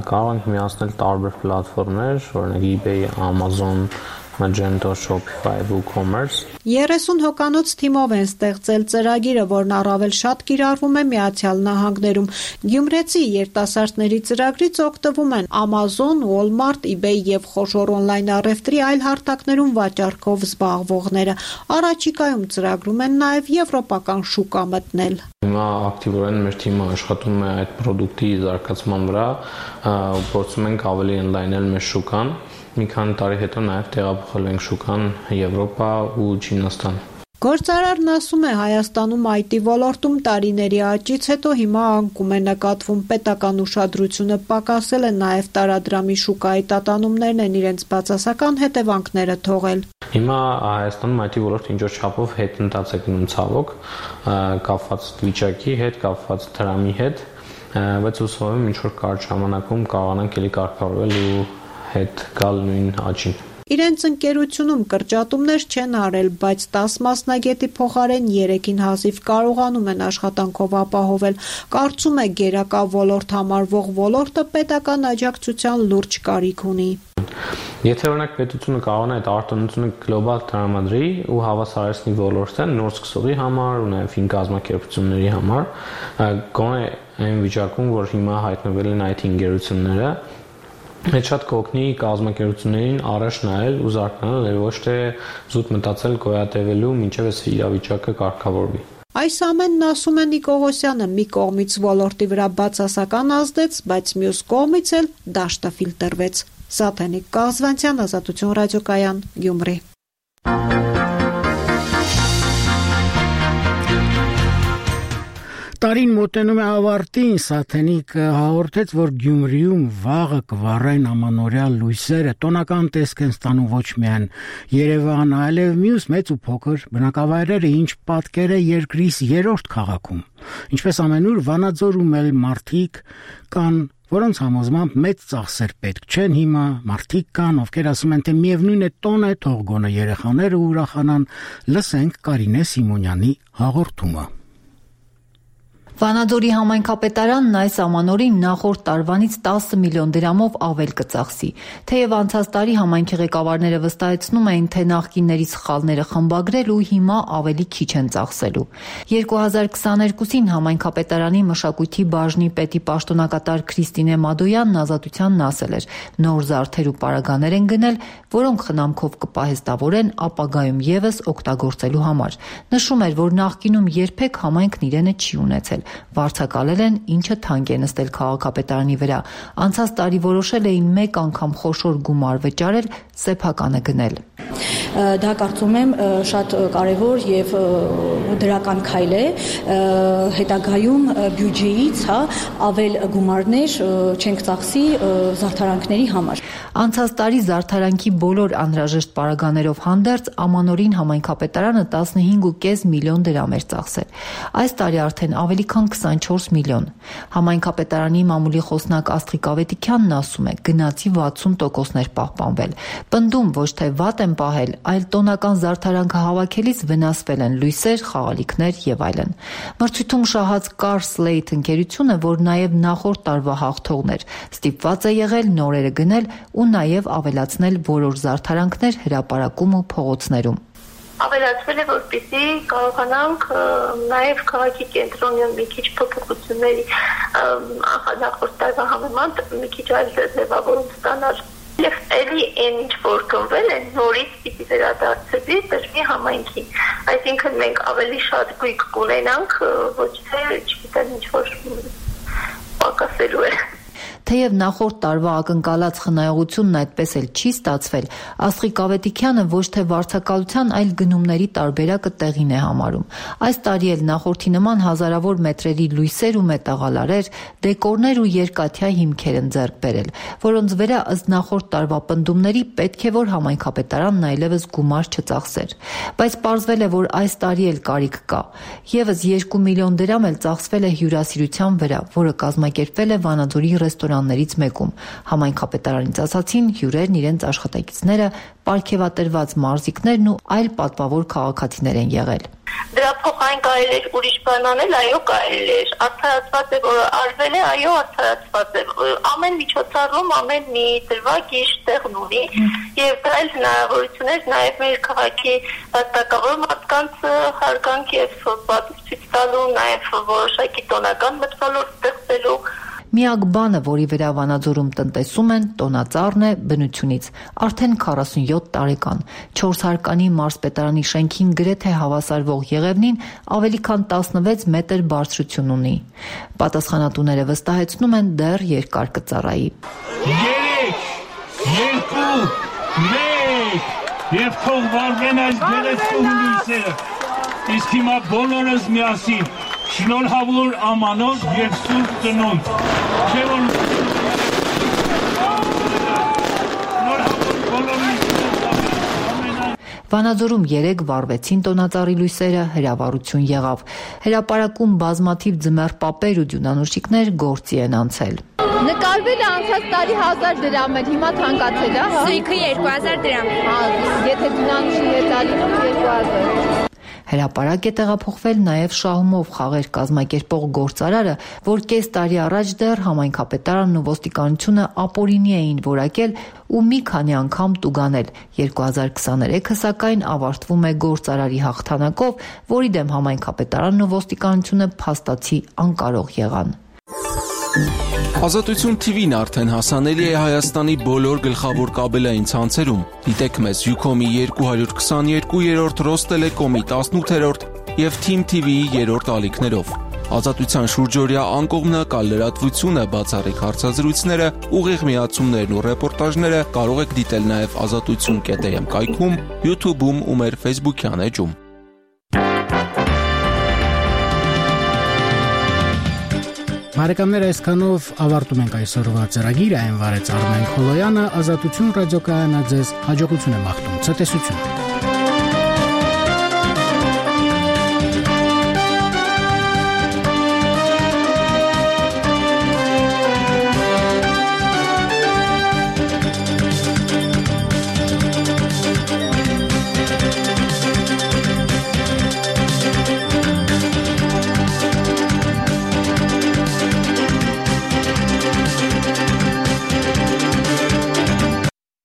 կարող ենք միացնել տարբեր պլատֆորմներ, օրինակ eBay, Amazon, Magento, Shopify, WooCommerce։ երեսուն հոկանոց թիմով են ստեղծել ծրագիրը, որն առավել շատ կիրառվում է Միացյալ Նահանգներում։ Գյումրեցի երիտասարդների ծրագրից օգտվում են Amazon, Walmart, eBay եւ խոշոր օնլայն առևտրի այլ հարթակներում վաճառքով զբաղվողները։ Առաջիկայում ծրագրում են նաեւ եվրոպական շուկա մտնել։ Հիմա ակտիվորեն մեր թիմը աշխատում է այդ product-ի զարգացման վրա, փորձում ենք ավելի ընդլայնել մեր շուկան։ Մի քանի տարի հետո նաև տեղափոխել ենք շուկան Եվրոպա ու Չինաստան։ Գործարարն ասում է, Հայաստանում այ տի ոլորտում տարիների աճից հետո հիմա անկում է նկատվում պետական ուշադրությունը պակասել է, նաև տարադրամի շուկայի տատանումներն են իրենց բացասական հետևանքները թողել։ Հիմա Հայաստանում այ տի ոլորտը ինչ-որ չափով հետընթաց է գնում ցավոք, կապված վիճակի հետ, կապված դրամի հետ, բայց հուսով եմ ինչ-որ կարճ ժամանակում կարողանանք էլի կարգավորվել ու հետ գալ նույն աճին։ Իրենց ընկերությունում կրճատումներ չեն արել, բայց տաս մասնագետի փոխարեն երեքին հազիվ կարողանում են աշխատանքով ապահովել։ Կարծում է գերակա ոլորտ համարվող ոլորտը պետական աջակցության լուրջ կարիք ունի։ Եթե օրինակ պետությունը կարողանա այդ արտոնությունը գլոբալ տրամադրի ու հավասարեցնի ոլորտը նոր սկսողի համար ու նաև ֆին կազմակերպությունների համար, գոնե այն վիճակում, որ հիմա հայտնվել են այդ ընկերությունները, Այդ շատ կօգնի կազմակերպություններին առաջ նայել ու զարգանալ, ոչ թե զուտ մտածել գոյատևելու մինչև այս իրավիճակը կարգավորվի։ Այս ամենն ասում է Նիկողոսյանը, մի կողմից ոլորտի վրա բացասական ազդեց, բայց մյուս կողմից էլ դաշտը ֆիլտրվեց։ Սաթենիկ Կազվանցյան, Ազատություն ռադիոկայան, Գյումրի։ Տարին մոտենում է ավարտին, Սաթենիկ հաղորդեց, որ Գյումրիում վաղը կվառեն ամանորյա լույսերը, տոնական տեսք են ստանում ոչ միայն Երևանը, այլև մյուս մեծ ու փոքր բնակավայրերը, ինչ պատկեր է երկրիս երրորդ քաղաքում։ Ինչպես ամենուր Վանաձորում էլ մարդիկ կան, որոնց համոզմամբ մեծ ծախսեր պետք չեն հիմա, մարդիկ կան, ովքեր ասում են, թե միևնույն է տոն է, թող գոնե երեխաները ուրախանան, լսենք Կարինե Սիմոնյանի հաղորդումը։ Վանաձորի համայնքապետարանն այս ամանորին նախորդ տարվանից տասը միլիոն դրամով ավել կծախսի, թեև անցած տարի համայնքի ղեկավարները վստահեցնում էին, թե նախկինների սխալները խմբագրել ու հիմա ավելի քիչ են ծախսելու։ երկու հազար քսաներկուսին համայնքապետարանի մշակույթի բաժնի պետի պաշտոնակատար Քրիստինե Մադոյանն Ազատությանն ասել էր, նոր զարդեր ու պարագաներ են գնել, որոնք խնամքով կպահեստավորեն ապագայում եւս օգտագործելու համար։ Նշում էր, որ նախկինում երբեք համայնքն իրենը չի ունեցել։ Վարձակալել են, ինչը թանկ է նստել քաղաքապետարանի վրա։ Անցած տարի որոշել էին մեկ անգամ խոշոր գումար վճարել, սեփականը գնել։ Դա կարծում եմ շատ կարևոր եւ դրական քայլ է, հետագայում բյուջեից, հա, ավել գումարներ չենք ծախսի զարդարանքների համար։ Անցած տարի զարդարանքի բոլոր անհրաժեշտ պարագաներով հանդերձ ամանորին համայնքապետարանը տասնհինգ ու կես միլիոն դրամ էր ծախսել։ Այս տարի արդեն ավելի քան քսանչորս միլիոն։ Համայնքապետարանի մամուլի խոսնակ Աստղիկ Ավետիքյանն ասում է, գնացի վաթսուն տոկոսներ պահպանվել։ Պնդում ոչ թե վատ են պահել, այլ տոնական զարդարանքը հավաքելիս վնասվել են լույսեր, խաղալիքներ եւ այլն։ Մրցույթում շահած Car Slate ընկերությունը, որ նաեւ նախորդ տարվա հաղթողներ, ստիպված է եղել նորերը գնել ու նաեւ ավելացնել որոշ զարդարանքներ հրապարակում ու փողոցներում։ Ավելացվել է, որպեսզի կարողանանք նաև քաղաքի կենտրոնում մի քիչ փոփոխությունների նախորդ տարվա համեմատ մի քիչ այլ ձևավորում ստանալ։ Եվ էլի այն ինչ որ կնվել է նորից պիտի վերադարձվի դրվի համայնքին։ Այսինքն մենք ավելի շատ գույք կունենանք, ոչ թե չգիտեմ ինչ որ պակասելու է։ Թեև նախորդ տարվա ակնկալած խնայողությունն այդպես էլ չի ստացվել, Աստղիկ Ավետիքյանը ոչ թե վարձակալության, այլ գնումների տարբերակը տեղին է համարում։ Այս տարի էլ նախորդի նման հազարավոր մետրերի լույսեր ու մետաղալարեր, դեկորներ ու երկաթյա հիմքեր են ձեռք բերել, որոնց վրա ըստ նախորդ տարվա պնդումների պետք է որ համայնքապետարանն այլևս գումար չծախսեր։ Բայց պարզվել է, որ այս տարի էլ կարիք կա։ Եվս երկու միլիոն դրամ էլ ծախսվել է հյուրասիրության վրա, որը կազմակերպվել է Վանաձորի ռեստորաններից մեկում։ Համայնքապետարանից ասացին, հյուրերն իրենց աշխատակիցները, պարգևատրված մարզիկներն ու այլ պատվավոր քաղաքացիներ են եղել։ Դրա փոխարեն կարելի էր ուրիշ բան անել, այո, կարելի էր։ Արդարացված է, որ արվել է, այո, արդարացված է։ Ամեն միջոցառում, ամեն մի դրվագ իր տեղն ունի եւ դա էլ հնարավորություն էր նաեւ մեր քաղաքի վաստակավոր մարդկանց հարգանք եւ պատիվ ցույց տալու, նաեւ որոշակի տոնական մթնոլորտ ստեղծելու։ Միակ բանը, որի վրա Վանաձորում տնտեսում են, տոնածառն է բնությունից, արդեն քառասունյոթ տարեկան, չորս հարկանի մարզպետարանի շենքին գրեթե հավասարվող Եղևնին ավելի քան տասնվեց մետր բարձրություն ունի։ Պատասխանատուները վստահեցնում են դեռ երկար կծառայի։ Երեք, երկու, մեկ, եւ թող վառվեն այս գեղեցկու հյուսերը, իսկ հիմա բոլորս միասին շնորհավոր ամանով եւ սուրբ ծնունդ։ Չէ՞ որ Վանաձորում երեք վառվեցին տոնածառի լույսերը, հրավառություն եղավ։ Հրապարակում բազմաթիվ ձմեռ պապեր ու դյունանուշիկներ գործի են անցել։ Նկարվել է անցած տարի հազար դրամ էր, հիմա թանկացել է, հա։ Սույքը երկու հազար դրամ։ Հա, եթե դյունանուշի հետ ալինում երկու հազար։ Հրապարակ է տեղափոխվել նաև Շահումով խաղեր կազմակերպող գործարարը, որ կես տարի առաջ դեռ համայնքապետարանն ու ոստիկանությունը ապօրինի էին որակել ու մի քանի անգամ տուգանել։ երկու հազար քսաներեքը սակայն ավարտվում է գործարարի հաղթանակով, որի դեմ համայնքապետարանն ու ոստիկանությունը փաստացի անկարող եղան։ Ազատություն թիվին արդեն հասանելի է Հայաստանի բոլոր գլխավոր կաբելային ցանցերում։ Դիտեք մեզ Յուքոմի երկու հարյուր քսաներկու, Ռոստելեկոմի տասնութերորդ եւ Թիմ թի վիի երրորդ ալիքներով։ Ազատության շուրջօրյա անկողմնակալ լրատվությունը, բացառիկ հարցազրույցները, ուղիղ միացումներն ու ռեպորտաժները կարող եք դիտել նաև ազատություն կետ էմ կայքում, YouTube-ում ու մեր Facebook-յան էջում։ Բարեկամներ, այսքանով ավարտում ենք այսօրվա ծրագիրը, այն վարեց Արմեն Խոլոյանը, Ազատություն ռադիոկայանը ձեզ հաջողություն է մաղթում, ցտեսություն։